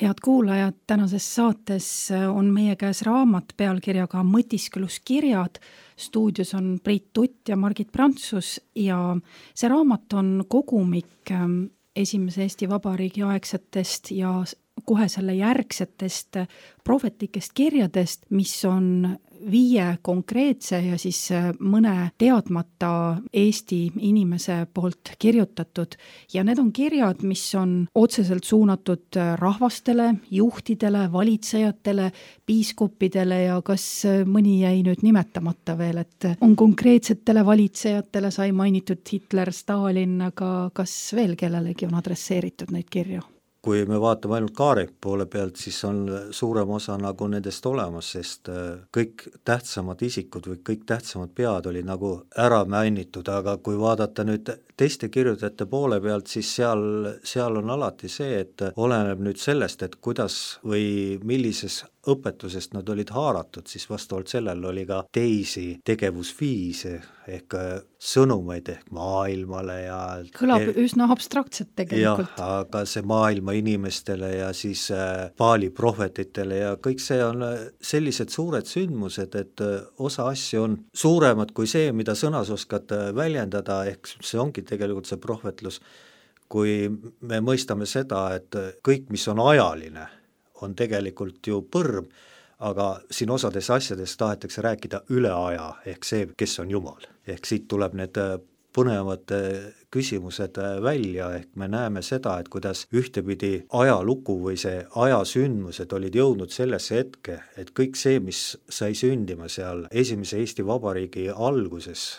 [SPEAKER 2] Head kuulajad, tänases saates on meie käes raamat pealkirjaga Mõtiskluskirjad. Stuudios on Priit Tutt ja Margit Prantsus ja see raamat on kogumik esimese Eesti Vabariigi aegsetest ja kohe selle järgsetest prohvetlikest kirjadest, mis on 5 konkreetse ja siis mõne teadmata Eesti inimese poolt kirjutatud. Ja need on kirjad, mis on otseselt suunatud rahvastele, juhtidele, valitsejatele, piiskopidele ja kas mõni jäi nüüd nimetamata veel, et on konkreetsetele valitsejatele, sai mainitud Hitler, Stalin, aga kas veel kellelegi on adresseeritud neid kirju?
[SPEAKER 3] Kui me vaatame ainult Kaare poole pealt, siis on suurem osa nagu nendest olemas, sest kõik tähtsamad isikud või kõik tähtsamad pead oli nagu ära mainitud, aga kui vaadata nüüd teiste kirjutajate poole pealt, siis seal on alati see, et oleneb nüüd sellest, et kuidas või millises õpetusest nad olid haaratud, siis vastavalt sellel oli ka teisi tegevusviise ehk sõnumeid ehk maailmale ja
[SPEAKER 2] kõlab üsna abstraktselt tegelikult.
[SPEAKER 3] Jah, aga see maailma inimestele ja siis Paali prohvetitele ja kõik see on sellised suured sündmused, et osa asju on suuremad kui see, mida sõnas oskad väljendada, ehk see ongi tegelikult see prohvetlus, kui me mõistame seda, et kõik, mis on ajaline, on tegelikult ju põrm, aga siin osades asjades tahetakse rääkida üle aja, ehk see, kes on Jumal. Ehk siit tuleb need põnevad küsimused välja, ehk me näeme seda, et kuidas ühtepidi ajalugu või see ajasündmused olid jõudnud sellesse hetke, et kõik see, mis sai sündima seal esimese Eesti Vabariigi alguses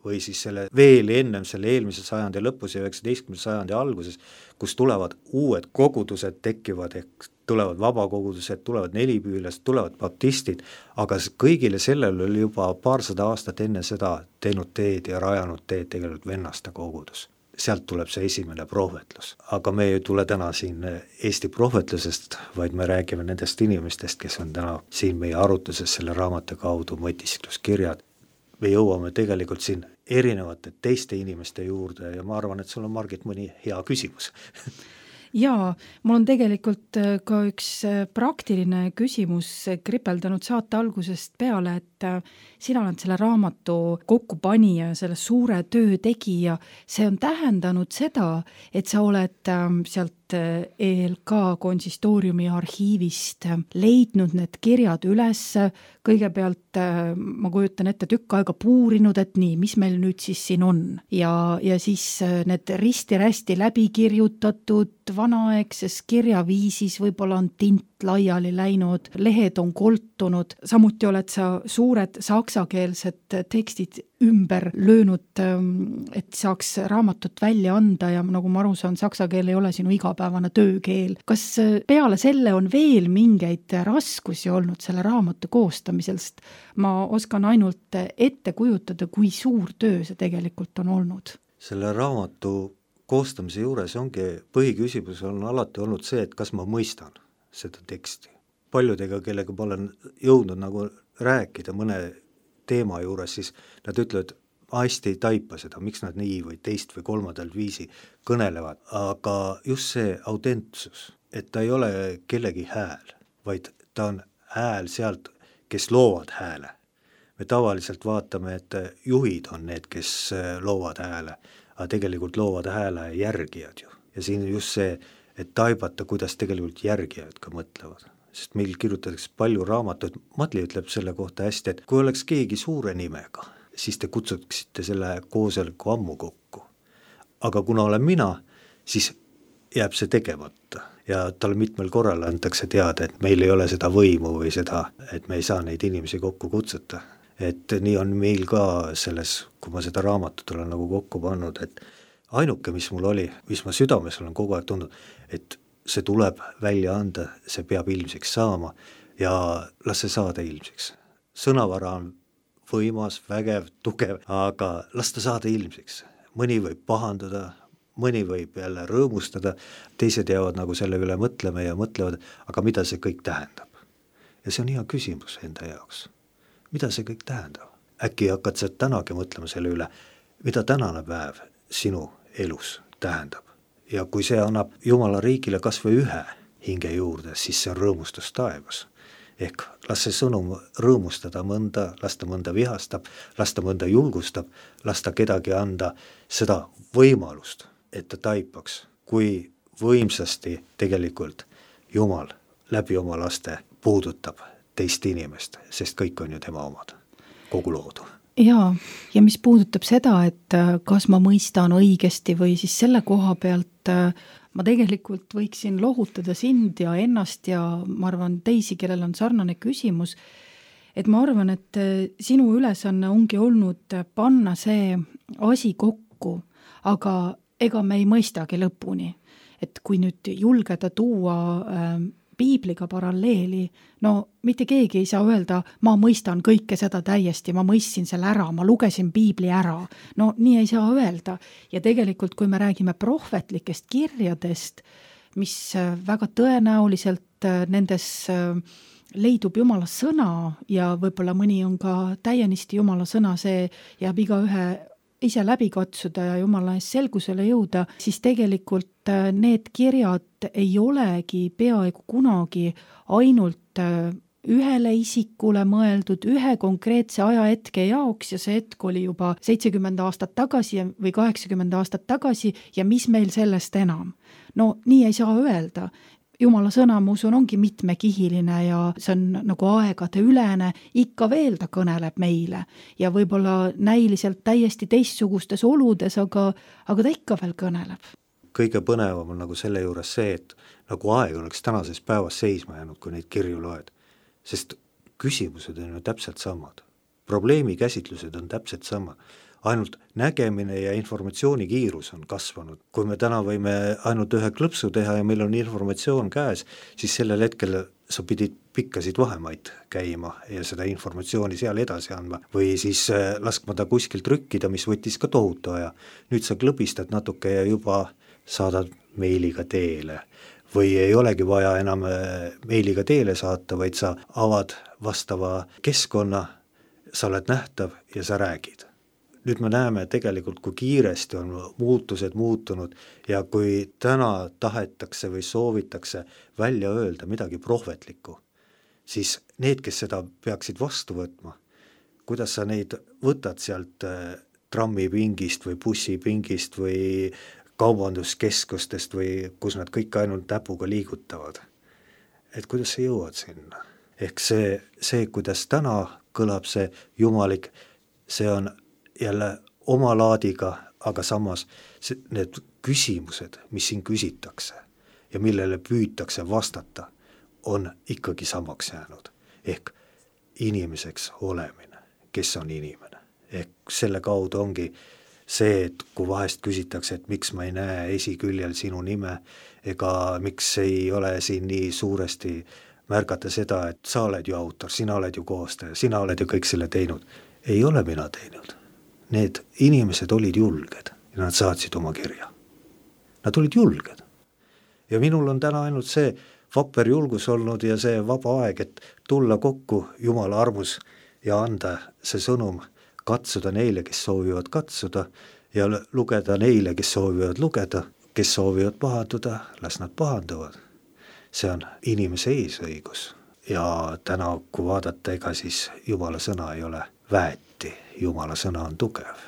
[SPEAKER 3] või siis selle veel ennem selle eelmise sajandi lõpus ja 19. sajandi alguses, kus tulevad uued kogudused tekivad, ehk tulevad vabakogudused, tulevad nelipüülased, tulevad baptistid, aga kõigile sellel oli juba paarsada aastat enne seda teinud teed ja rajanud teed tegelikult vennaste kogudus. Sealt tuleb see esimene prohvetlus. Aga me ei tule täna siin Eesti prohvetlusest, vaid me räägime nendest inimestest, kes on täna siin meie arutluses selle raamatu kaudu Mõtiskluskirjad. Me jõuame tegelikult siin erinevate teiste inimeste juurde ja ma arvan, et sul on, Margit, mõni hea küsimus.
[SPEAKER 2] Jaa, mul on tegelikult ka üks praktiline küsimus kripeldanud saate algusest peale, et sina oled selle raamatu kokkupanija ja selle suure töö tegija. See on tähendanud seda, et sa oled sealt ELK konsistooriumi arhiivist leidnud need kirjad üles, kõigepealt ma kujutan ette tükk aega puurinud, et nii, mis meil nüüd siis siin on ja siis need risti-rästi läbi kirjutatud vanaaegses kirjaviisis, võib-olla on tint laiali läinud, lehed on koltunud, samuti oled sa suured saksakeelsed tekstid ümber löönud, et saaks raamatut välja anda ja nagu ma aru saan, saksa keel ei ole sinu igapäevane töökeel. Kas peale selle on veel mingeid raskusi olnud selle raamatu koostamisel, sest ma oskan ainult ette kujutada, kui suur töö see tegelikult on olnud?
[SPEAKER 3] Selle raamatu koostamise juures ongi põhiküsimus on alati olnud see, et kas ma mõistan seda teksti. Paljudega, kellega ma olen jõudnud nagu rääkida mõne teema juures, siis nad ütlevad, ma hästi ei taipa seda, miks nad nii või teist või kolmandalt viisi kõnelevad, aga just see autentsus, et ta ei ole kellegi hääl, vaid ta on hääl sealt, kes loovad hääle. Me tavaliselt vaatame, et juhid on need, kes loovad hääle, aga tegelikult loovad hääle järgijad ju. Ja siin just see, et taibata, kuidas tegelikult järgijad ka mõtlevad. Sest meil kirjutatakse palju raamatuid, Madli ütleb selle kohta hästi, et kui oleks keegi suure nimega, siis te kutsuksite selle koosoleku ammu kokku. Aga kuna olen mina, siis jääb see tegemata. Ja talle mitmel korral antakse teada, et meil ei ole seda võimu või seda, et me ei saa neid inimesi kokku kutsuta. Et nii on meil ka selles, kui ma seda raamatut olen nagu kokku pannud, et ainuke, mis mul oli, mis ma südames olen kogu aeg tundnud, et see tuleb välja anda, see peab ilmsiks saama ja las see saada ilmsiks. Sõnavara on võimas, vägev, tugev, aga las ta saada ilmsiks. Mõni võib pahandada, mõni võib jälle rõõmustada, teised jäävad nagu selle üle mõtlema ja mõtlevad, aga mida see kõik tähendab? Ja see on hea küsimus enda jaoks. Mida see kõik tähendab? Äkki hakkad sa tänagi mõtlema selle üle, mida tänane päev sinu elus tähendab? Ja kui see annab Jumala riigile kas või ühe hinge juurde, siis see on rõõmustus taevas. Ehk las see sõnum rõõmustada mõnda, las ta mõnda vihastab, las ta mõnda julgustab, las ta kedagi anda seda võimalust, et ta taipaks, kui võimsasti tegelikult Jumal läbi oma laste puudutab teist inimest, sest kõik on ju tema omad, kogu loodu.
[SPEAKER 2] Ja mis puudutab seda, et kas ma mõistan õigesti või siis selle koha pealt ma tegelikult võiksin lohutada sind ja ennast ja ma arvan teisi, kellel on sarnane küsimus, et ma arvan, et sinu ülesanne ongi olnud panna see asi kokku, aga ega me ei mõistagi lõpuni. Et kui nüüd julgeda tuua piibliga paralleeli, no mitte keegi ei saa öelda, ma mõistan kõike seda täiesti, ma mõistsin selle ära, ma lugesin piibli ära. No nii ei saa öelda. Ja tegelikult, kui me räägime prohvetlikest kirjadest, mis väga tõenäoliselt nendes leidub Jumala sõna ja võib-olla mõni on ka täienisti Jumala sõna, see jääb igaühe ise läbi katsuda ja Jumala ees selgusele jõuda, siis tegelikult need kirjad ei olegi peaaegu kunagi ainult ühele isikule mõeldud ühe konkreetse ajahetke jaoks ja see hetk oli juba 70 aastat tagasi või 80 aastat tagasi ja mis meil sellest enam. No nii ei saa öelda. Jumala sõna, ma usun, ongi mitmekihiline ja see on nagu aegade ülene, ikka veel ta kõneleb meile ja võib-olla näiliselt täiesti teistsugustes oludes, aga ta ikka veel kõneleb.
[SPEAKER 3] Kõige põnevam on nagu selle juures see, et nagu aeg oleks tänases päevas seisma jäänud, kui neid kirju loed, sest küsimused on ju täpselt samad. Probleemi käsitlused on täpselt samad. Ainult nägemine ja informatsiooni kiirus on kasvanud. Kui me täna võime ainult ühe klõpsu teha ja meil on informatsioon käes, siis sellel hetkel sa pidid pikkasid vahemaid käima ja seda informatsiooni seal edasi andma või siis laskma ta kuskil trükkida, mis võttis ka tohutu aja. Nüüd sa klõbistad natuke ja juba saadad meiliga teele või ei olegi vaja enam meiliga teele saata, vaid sa avad vastava keskkonna, sa oled nähtav ja sa räägid. Nüüd me näeme tegelikult, kui kiiresti on muutused muutunud ja kui täna tahetakse või soovitakse välja öelda midagi prohvetlikku, siis need, kes seda peaksid vastu võtma, kuidas sa neid võtad sealt trammipingist või bussipingist või kaubanduskeskustest või kus nad kõik ainult näpuga liigutavad. Et kuidas sa jõuad sinna? Ehk see, kuidas täna kõlab see jumalik, see on jälle oma laadiga, aga samas need küsimused, mis siin küsitakse, ja millele püütakse vastata, on ikkagi samaks jäänud. Ehk inimeseks olemine, kes on inimene. Ehk selle kaudu ongi see, et kui vahest küsitakse, et miks ma ei näe esiküljel sinu nime, ega miks ei ole siin nii suuresti märgata seda, et sa oled ju autor, sina oled ju koostaja, sina oled ju kõik selle teinud. Ei ole mina teinud. Need inimesed olid julged ja nad saatsid oma kirja. Nad olid julged. Ja minul on täna ainult see vapper julgus olnud ja see vaba aeg, et tulla kokku Jumala armus ja anda see sõnum, katsuda neile, kes soovivad katsuda ja lugeda neile, kes soovivad lugeda, kes soovivad pahanduda, las nad pahanduvad. See on inimese eesõigus ja täna, kui vaadata, ega siis Jumala sõna ei ole väeti, Jumala sõna on tugev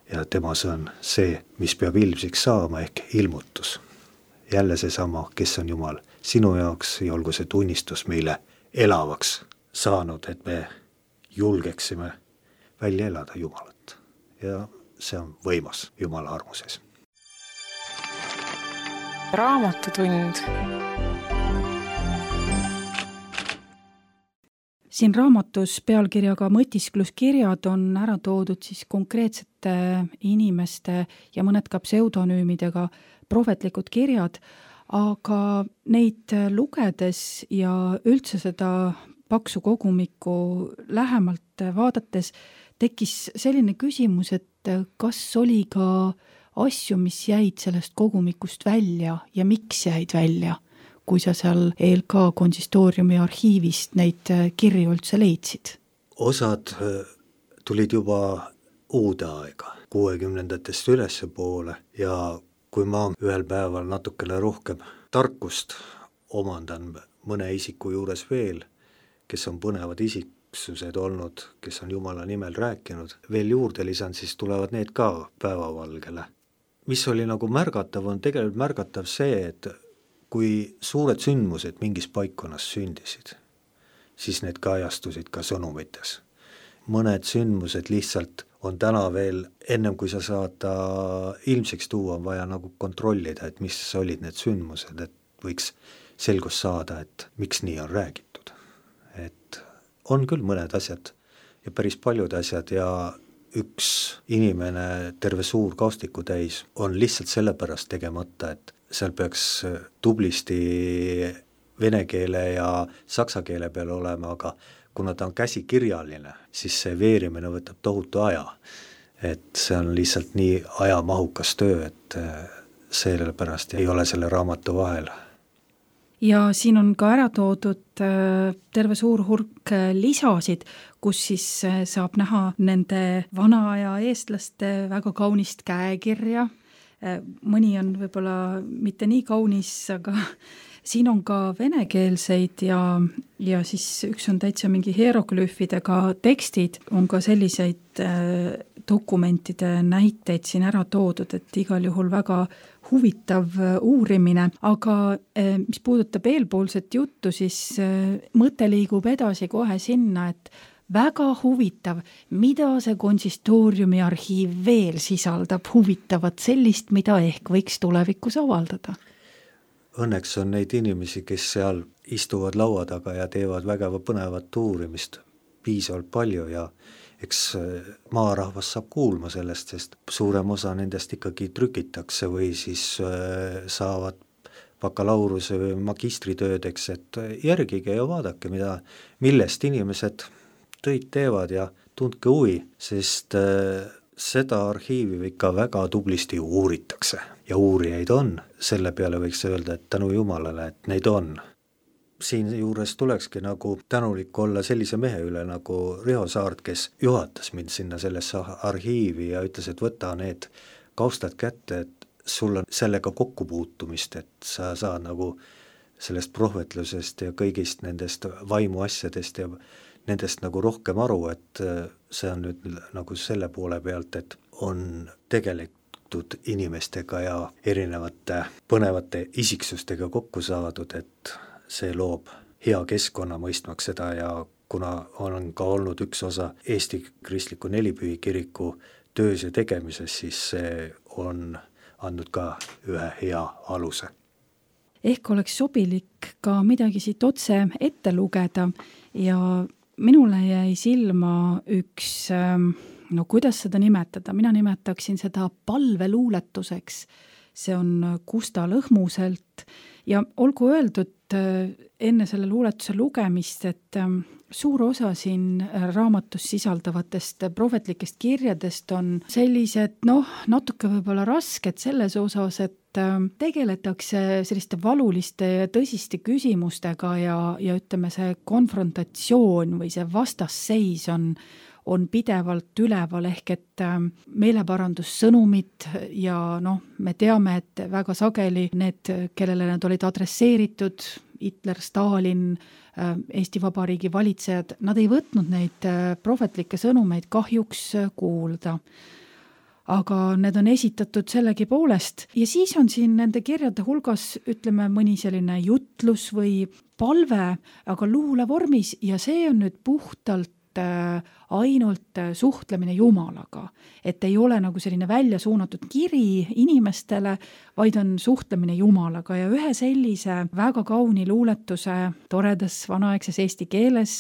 [SPEAKER 3] ja tema sõn see, mis peab ilmsiks saama ehk ilmutus. Jälle seesama, kes on Jumal sinu jaoks ja olgu see tunnistus meile elavaks saanud, et me julgeksime välja elada Jumalat ja see on võimas Jumala armuses.
[SPEAKER 1] Raamatutund.
[SPEAKER 2] Siin raamatus pealkirjaga mõtiskluskirjad on ära toodud siis konkreetsete inimeste ja mõned ka pseudonüümidega prohvetlikud kirjad, aga neid lugedes ja üldse seda paksu kogumikku lähemalt vaadates tekkis selline küsimus, et kas oli ka asju, mis jäid sellest kogumikust välja ja miks jäid välja, kui sa seal ELK konsistooriumi arhiivist neid kirju üldse leidsid?
[SPEAKER 3] Osad tulid juba uude aega, 60-ndatest ülesse poole ja kui ma ühel päeval natukene rohkem tarkust omandan mõne isiku juures veel, kes on põnevad isiksused olnud, kes on Jumala nimel rääkinud, veel juurde lisan, siis tulevad need ka päevavalgele. Mis oli nagu märgatav, on tegelikult märgatav see, et kui suured sündmused mingis paikkonnas sündisid, siis need kajastusid ka sõnumites. Mõned sündmused lihtsalt on täna veel, ennem kui sa saad ta ilmseks tuua, on vaja nagu kontrollida, et mis olid need sündmused, et võiks selgus saada, et miks nii on räägitud. Et on küll mõned asjad ja päris paljud asjad ja üks inimene terve suur kaustiku täis on lihtsalt sellepärast tegemata, et seal peaks tublisti vene keele ja saksa keele peal olema, aga kuna ta on käsikirjaline, siis see veerimine võtab tohutu aja. Et see on lihtsalt nii ajamahukas töö, et sellepärast ei ole selle raamatu vahel.
[SPEAKER 2] Ja siin on ka ära toodud terve suur hulk lisasid, kus siis saab näha nende vana aja eestlaste väga kaunist käekirja. Mõni on võib-olla mitte nii kaunis, aga siin on ka venekeelseid ja siis üks on täitsa mingi hieroglüüfidega tekstid, on ka selliseid dokumentide näiteid siin ära toodud, et igal juhul väga huvitav uurimine, aga mis puudutab eelpoolset juttu, siis mõte liigub edasi kohe sinna, et väga huvitav, mida see konsistooriumi arhiiv veel sisaldab huvitavat sellist, mida ehk võiks tulevikus avaldada.
[SPEAKER 3] Õnneks on neid inimesi, kes seal istuvad laua taga ja teevad väga põnevat uurimist piisavalt palju ja eks maarahvas saab kuulma sellest, sest suurem osa nendest ikkagi trükitakse või siis saavad bakalaureuse või magistritöödeks, et järgige ja vaadake, millest inimesed töid teevad ja tundke huvi, sest seda arhiivi ikka väga tublisti uuritakse ja uurijaid on. Selle peale võiks öelda, et tänu Jumalale, et neid on. Siin juures tulekski nagu tänulik olla sellise mehe üle nagu Riho Saart, kes juhatas mind sinna sellesse arhiivi ja ütles, et võta need kaustad kätte, et sul on sellega kokkupuutumist, et sa saad nagu sellest prohvetlusest ja kõigist nendest vaimuasjadest ja nendest nagu rohkem aru, et see on nüüd nagu selle poole pealt, et on tegeletud inimestega ja erinevate põnevate isiksustega kokku saadud, et see loob hea keskkonna mõistmaks seda ja kuna on ka olnud üks osa Eesti Kristliku Nelipühi kiriku töös ja tegemises, siis see on andnud ka ühe hea aluse.
[SPEAKER 2] ehk oleks sobilik ka midagi siit otse ette lugeda ja minule jäi silma üks, no kuidas seda nimetada, mina nimetaksin seda palveluuletuseks. See on Gusta Lõhmuselt ja olgu öeldud enne selle luuletuse lugemist, et suur osa siin raamatus sisaldavatest prohvetlikest kirjadest on sellised, natuke võib-olla rasked selles osas, et tegeletakse selliste valuliste ja tõsiste küsimustega ja ütleme, see konfrontatsioon või see vastasseis on pidevalt üleval, ehk et meeleparandussõnumid ja me teame, et väga sageli need, kellele nad olid adresseeritud, Hitler, Stalin, Eesti Vabariigi valitsejad, nad ei võtnud neid prohvetlikke sõnumeid kahjuks kuulda. Aga need on esitatud sellegipoolest ja siis on siin nende kirjade hulgas, ütleme, mõni selline jutlus või palve, aga luule vormis ja see on nüüd puhtalt ainult suhtlemine Jumalaga, et ei ole nagu selline välja suunatud kiri inimestele, vaid on suhtlemine Jumalaga ja ühe sellise väga kauni luuletuse toredas vanaaegses eesti keeles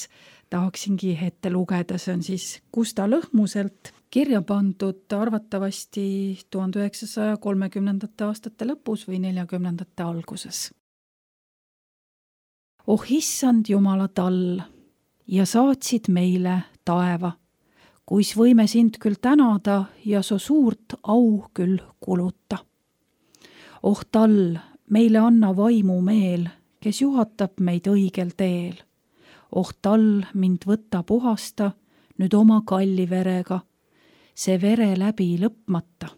[SPEAKER 2] tahaksingi ette lugeda, see on siis Gusta Lõhmuselt kirja pandud arvatavasti 1930. aastate lõpus või 40. alguses. Oh issand Jumala tall, ja saatsid meile taeva, kuis võime sind küll tänada ja so suurt au küll kuluta. Oh tall, meile anna vaimu meel, kes juhatab meid õigel teel. Oh tall, mind võtta puhasta, nüüd oma kalli verega, see vere läbi lõpmata.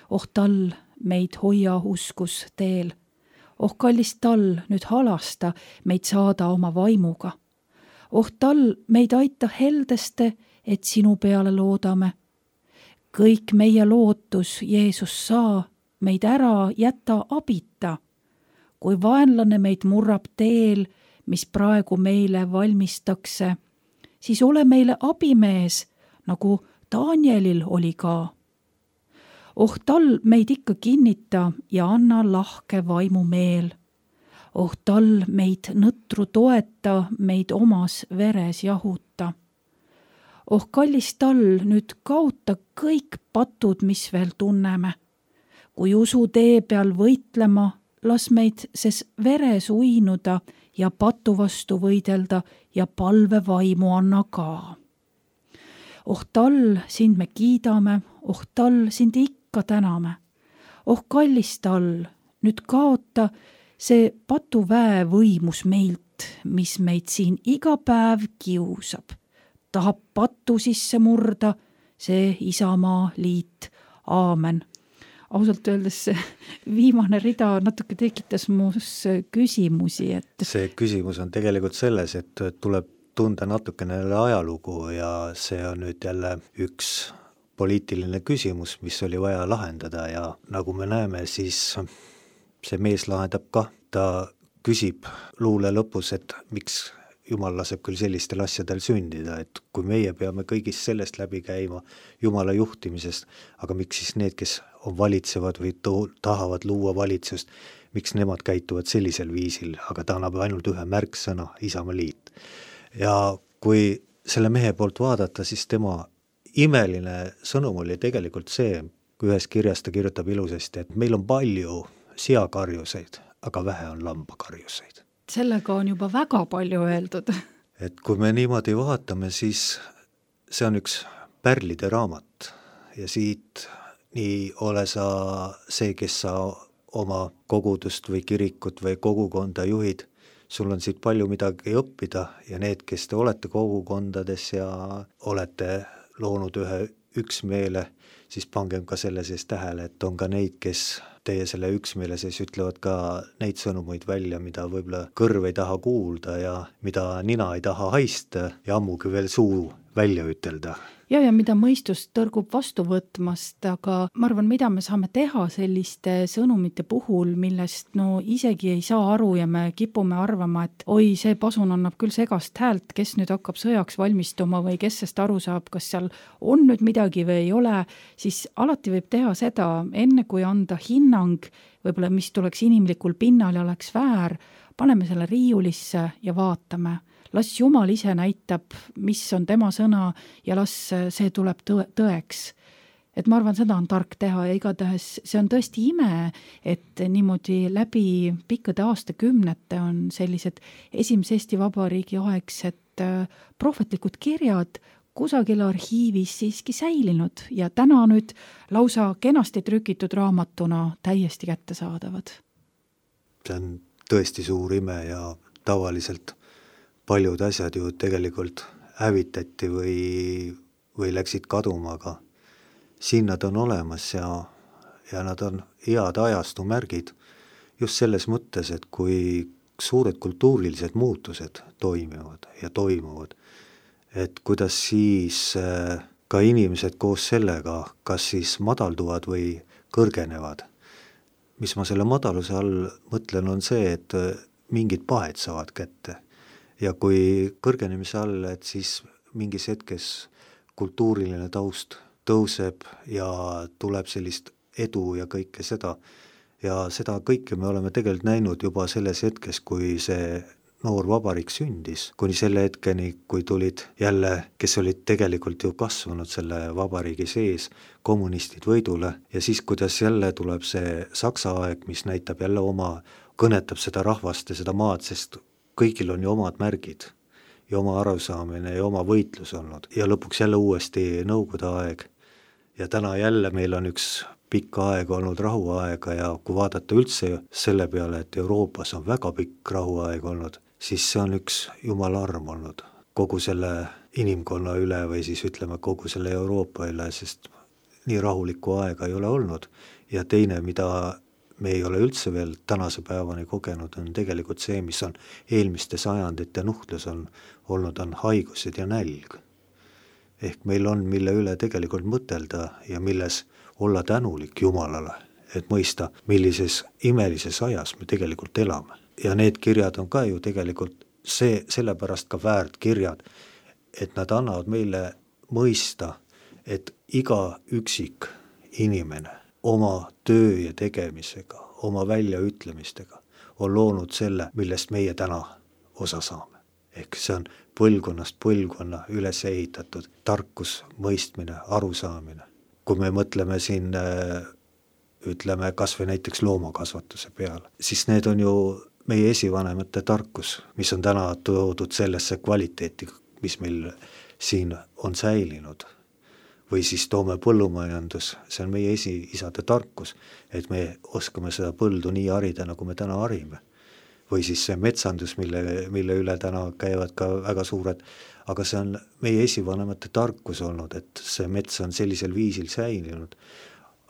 [SPEAKER 2] Oh tall, meid hoia uskus teel. Oh kallis tall, nüüd halasta, meid saada oma vaimuga. Oh tall, meid aita heldeste, et sinu peale loodame. Kõik meie lootus, Jeesus saa, meid ära jäta abita. Kui vaenlane meid murrab teel, mis praegu meile valmistakse, siis ole meile abimees, nagu Danielil oli ka. Oh tall, meid ikka kinnita ja anna lahke vaimu meel. Oh tall, meid nõtru toeta, meid omas veres jahuta. Oh kallis tall, nüüd kaota kõik patud, mis veel tunneme. Kui usu tee peal võitlema, las meid ses veres uinuda ja patu vastu võidelda ja palve vaimu anna ka. Oh tall, sind me kiidame, oh tall, sind ikka täname. Oh kallis tall, nüüd kaota see patuväe võimus meilt, mis meid siin iga päev kiusab. Tahab patu sisse murda, see Isamaa liit. Aamen. Ausalt öeldes see viimane rida natuke tekitas muus küsimusi. Et
[SPEAKER 3] see küsimus on tegelikult selles, et tuleb tunda natukene ajalugu ja see on nüüd jälle üks poliitiline küsimus, mis oli vaja lahendada ja nagu me näeme, siis see mees lahendab ka, ta küsib luule lõpus, et miks Jumal laseb küll sellistel asjadel sündida, et kui meie peame kõigist sellest läbi käima Jumala juhtimisest, aga miks siis need, kes on valitsevad või tahavad luua valitsust, miks nemad käituvad sellisel viisil, aga ta annab ainult ühe märksõna, Isamaa liit. Ja kui selle mehe poolt vaadata, siis tema imeline sõnum oli tegelikult see, kui ühes kirjas ta kirjutab ilusasti, et meil on palju seakarjuseid, aga vähe on lambakarjuseid.
[SPEAKER 2] Sellega on juba väga palju öeldud.
[SPEAKER 3] Et kui me niimoodi vaatame, siis see on üks pärlide raamat ja siit nii ole sa see, kes sa oma kogudust või kirikut või kogukonda juhid, sul on siit palju midagi õppida ja need, kes te olete kogukondades ja olete loonud ühe üksmeele, siis pangem ka selle sees tähele, et on ka neid, kes teie selle üksmeele sees ütlevad ka neid sõnumeid välja, mida võib-olla kõrv ei taha kuulda ja mida nina ei taha haista ja ammugi veel suu välja ütelda.
[SPEAKER 2] ja mida mõistus tõrgub vastu võtmast, aga ma arvan, mida me saame teha selliste sõnumite puhul, millest no isegi ei saa aru ja me kipume arvama, et oi, see pasun annab küll segast häält, kes nüüd hakkab sõjaks valmistuma või kes sest aru saab, kas seal on nüüd midagi või ei ole, siis alati võib teha seda, enne kui anda hinnang, võib-olla mis tuleks inimlikul pinnal ja oleks väär, paneme selle riiulisse ja vaatame. Las Jumal ise näitab, mis on tema sõna ja las see tuleb tõeks. Et ma arvan, seda on tark teha ja igatahes see on tõesti ime, et niimoodi läbi pikkade aastakümnete on sellised esimese Eesti Vabariigi aegsed prohvetlikud kirjad kusagil arhiivis siiski säilinud ja täna nüüd lausa kenasti trükitud raamatuna täiesti kättesaadavad.
[SPEAKER 3] See on tõesti suur ime ja tavaliselt paljud asjad ju tegelikult hävitati või läksid kaduma, aga siin nad on olemas ja nad on head ajastu märgid just selles mõttes, et kui suured kultuurilised muutused toimuvad, et kuidas siis ka inimesed koos sellega kas siis madalduvad või kõrgenevad. Mis ma selle madaluse all mõtlen, on see, et mingid pahed saavad kätte. Ja kui kõrgenemise all, et siis mingis hetkes kultuuriline taust tõuseb ja tuleb sellist edu ja kõike seda. Ja seda kõike me oleme tegelikult näinud juba selles hetkes, kui see noor vabariik sündis, kuni selle hetkeni, kui tulid jälle, kes olid tegelikult ju kasvanud selle vabariigi sees, kommunistid võidule ja siis, kuidas jälle tuleb see Saksa aeg, mis näitab jälle kõnetab seda rahvast ja seda maad, sest kõigil on ju omad märgid ja oma arusaamine ja oma võitlus olnud ja lõpuks jälle uuesti Nõukogude aeg ja täna jälle meil on üks pikka aega olnud rahuaega ja kui vaadata üldse selle peale, et Euroopas on väga pikk rahuaeg olnud, siis see on üks jumala arm olnud kogu selle inimkonna üle või siis ütleme kogu selle Euroopa üle, sest nii rahulikku aega ei ole olnud ja teine, mida me ei ole üldse veel tänase päevani kogenud, on tegelikult see, mis on eelmiste sajandite nuhtlus on olnud, on haigused ja nälg. Ehk meil on, mille üle tegelikult mõtelda ja milles olla tänulik Jumalale, et mõista, millises imelises ajas me tegelikult elame. Ja need kirjad on ka ju tegelikult sellepärast ka väärt kirjad, et nad annavad meile mõista, et iga üksik inimene oma töö ja tegemisega, oma väljaütlemistega on loonud selle, millest meie täna osa saame. Ehk see on põlvkonnast põlvkonna üles ehitatud tarkus, mõistmine, arusaamine. Kui me mõtleme siin, ütleme, kas või näiteks loomakasvatuse peale, siis need on ju meie esivanemate tarkus, mis on täna toodud sellesse kvaliteeti, mis meil siin on säilinud. Või siis toome põllumajandus, see on meie esiisade tarkus, et me oskame seda põldu nii harida, nagu me täna harime. Või siis see metsandus, mille üle täna käivad ka väga suured, aga see on meie esivanemate tarkus olnud, et see mets on sellisel viisil säilinud.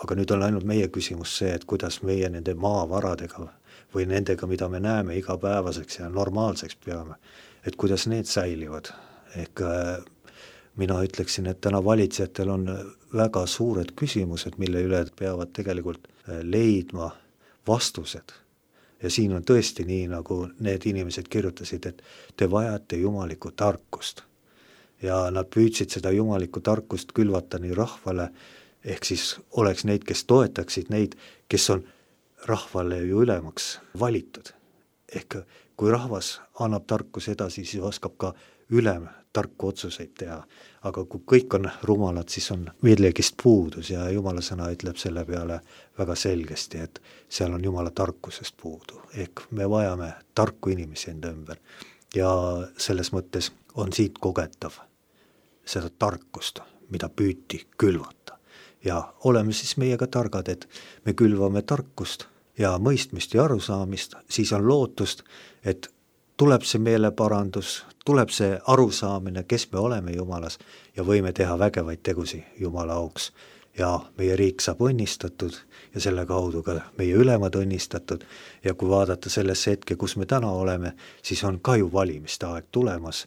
[SPEAKER 3] Aga nüüd on ainult meie küsimus see, et kuidas meie nende maavaradega või nendega, mida me näeme igapäevaseks ja normaalseks peame, et kuidas need säilivad. Ehk mina ütleksin, et täna valitsejatel on väga suured küsimused, mille üle peavad tegelikult leidma vastused. Ja siin on tõesti nii, nagu need inimesed kirjutasid, et te vajate jumalikku tarkust. Ja nad püüdsid seda jumalikku tarkust külvata nii rahvale, ehk siis oleks neid, kes toetaksid neid, kes on rahvale ju ülemaks valitud. Ehk kui rahvas annab tarkus edasi, siis oskab ka ülem tarku otsuseid teha, aga kui kõik on rumalad, siis on millegist puudus ja Jumala sõna ütleb selle peale väga selgesti, et seal on Jumala tarkusest puudu, ehk me vajame tarku inimesi enda ümber ja selles mõttes on siit kogetav seda tarkust, mida püüti külvata ja oleme siis meiega targad, et me külvame tarkust ja mõistmist ja arusaamist, siis on lootust, et tuleb see meeleparandus, tuleb see arusaamine, kes me oleme Jumalas ja võime teha vägevaid tegusi Jumala auks. Ja meie riik saab õnnistatud ja selle kaudu ka meie ülemad õnnistatud ja kui vaadata sellesse hetke, kus me täna oleme, siis on ka ju valimiste aeg tulemas.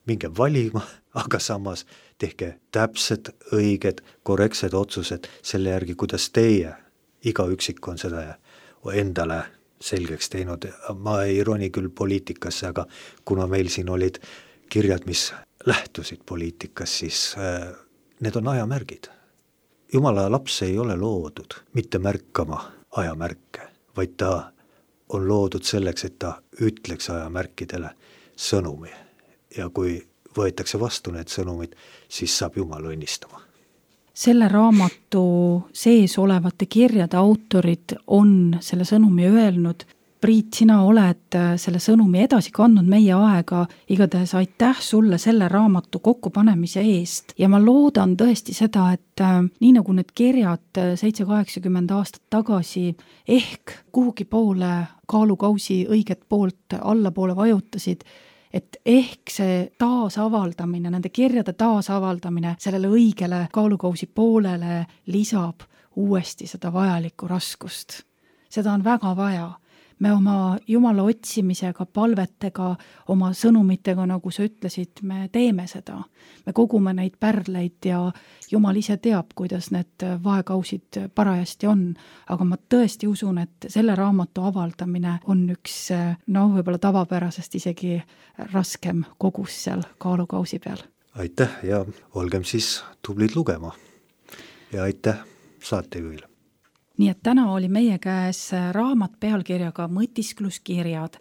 [SPEAKER 3] Minge valima, aga samas tehke täpsed, õiged, korrektsed otsused selle järgi, kuidas teie, iga üksik on seda endale selgeks teinud. Ma ei roni küll poliitikasse, aga kuna meil siin olid kirjad, mis lähtusid poliitikas, siis need on ajamärgid. Jumala laps ei ole loodud mitte märkama ajamärke, vaid ta on loodud selleks, et ta ütleks ajamärkidele sõnumi. Ja kui võetakse vastu need sõnumid, siis saab Jumal õnnistama.
[SPEAKER 2] Selle raamatu sees olevate kirjade autorid on selle sõnumi öelnud. Priit, sina oled selle sõnumi edasi kandnud meie aega, igatahes aitäh sulle selle raamatu kokkupanemise eest ja ma loodan tõesti seda, et nii nagu need kirjad 7-80 aastat tagasi ehk kuhugi poole kaalukausi õiget poolt allapoole vajutasid, et ehk see taasavaldamine, nende kirjade taasavaldamine sellele õigele kaalukausi poolele lisab uuesti seda vajalikku raskust. Seda on väga vaja. Me oma Jumala otsimisega, palvetega, oma sõnumitega, nagu sa ütlesid, me teeme seda. Me kogume neid pärleid ja Jumal ise teab, kuidas need vaekausid parajasti on. Aga ma tõesti usun, et selle raamatu avaldamine on üks, võib-olla tavapärasest isegi raskem kogus seal kaalukausi peal.
[SPEAKER 3] Aitäh ja olgem siis tublid lugema. Ja aitäh saatejuhile.
[SPEAKER 2] Nii et täna oli meie käes raamat pealkirjaga Mõtiskluskirjad.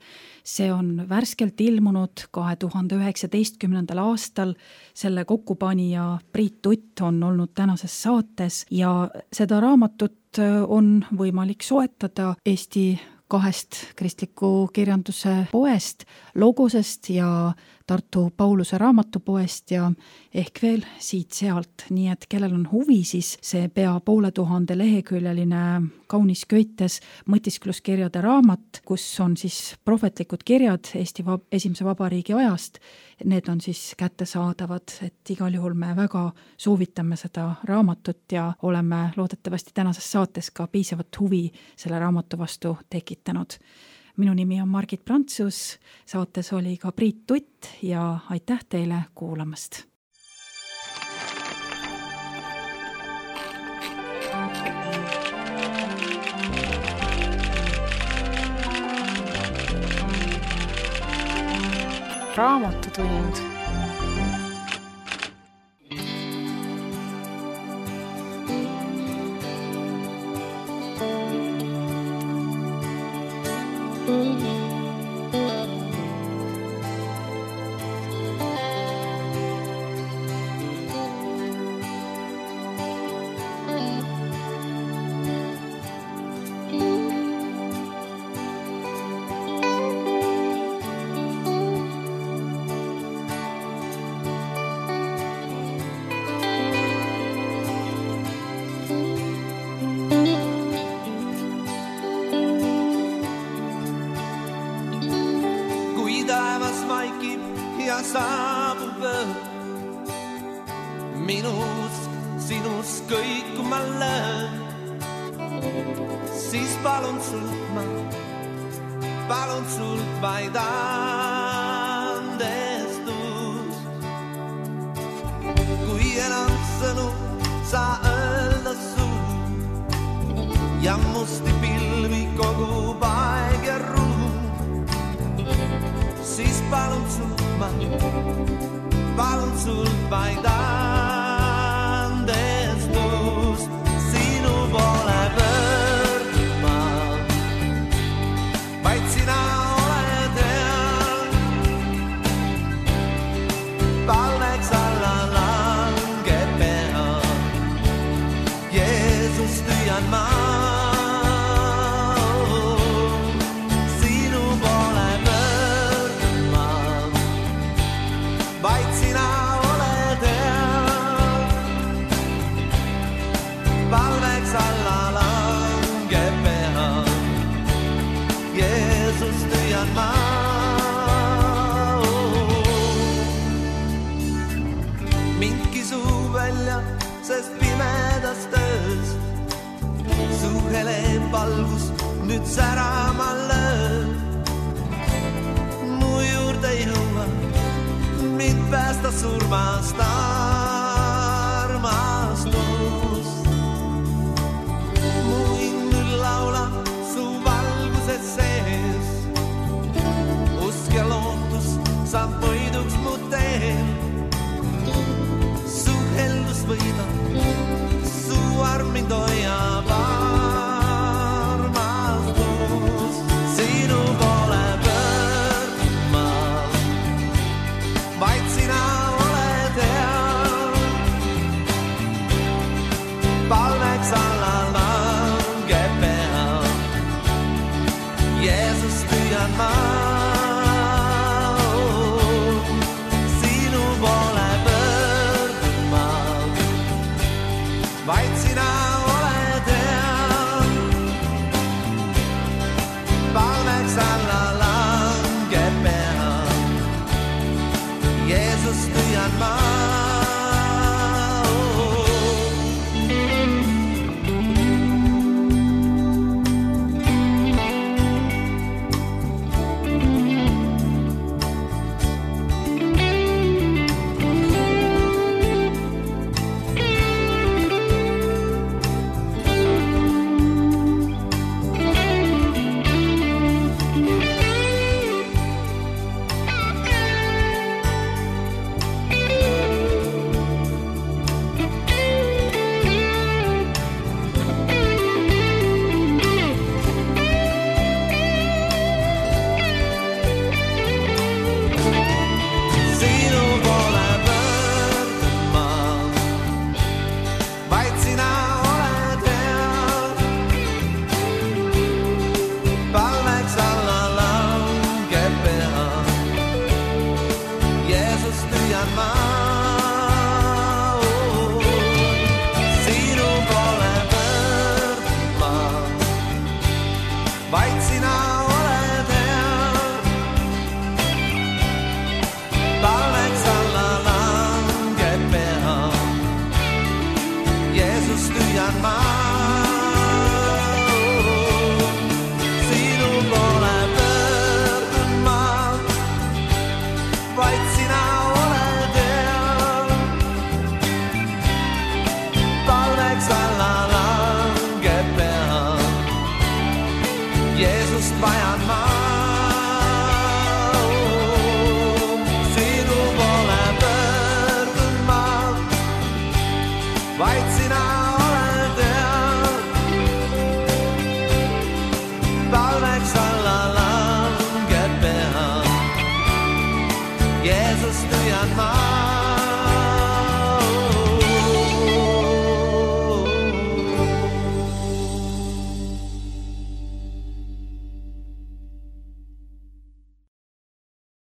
[SPEAKER 2] See on värskelt ilmunud 2019. aastal. Selle kokkupanija Priit Tutt on olnud tänases saates ja seda raamatut on võimalik soetada Eesti 2 kristliku kirjanduse poest, Logosest ja Tartu Pauluse raamatupoest ja ehk veel siit-sealt. Nii et kellel on huvi, siis see pea 500 leheküljeline kaunis köites mõtiskluskirjade raamat, kus on siis prohvetlikud kirjad Eesti esimese vabariigi ajast. Need on siis kättesaadavad, et igal juhul me väga soovitame seda raamatut ja oleme loodetavasti tänases saates ka piisavat huvi selle raamatu vastu tekitanud. Minu nimi on Margit Prantsus, saates oli ka Priit Tutt ja aitäh teile kuulamast.
[SPEAKER 1] Raamatutund.
[SPEAKER 4] Saabub öö, minus, sinus kõik ma löön, siis palun sult vaid andestust. Kui enam sõnu sa öelda suud ja musti pilvi kogub aeg ja ruum, siis palun sult vaid andestust. Sinu poole pöördma, vaid sina oled hea. Palveks alla langeb pea, Jeesus tüüan ma. Sest pimedas töös su hele valgus nüüd särama lööb. Mu juurde jõua, mind päästa surmast armastust. Mu hing nüüd laulab su valguses sees, usk ja lootus saab võiduks mu teel. Su heldus võidab, su arm mind hoiab armastus. Sinu poole pöördma, vaid sina oled hea. Palveks alla langeb pea, Jeesus püüan ma. Sinu poole pöördma, vaid sina oled hea. Palveks alla langeb pea, Jeesus püüan ma. Jeesust vajan ma, sinu poole pöördun ma, vaid sina oled hea. Palveks alla langeb pea, Jeesust püüan ma.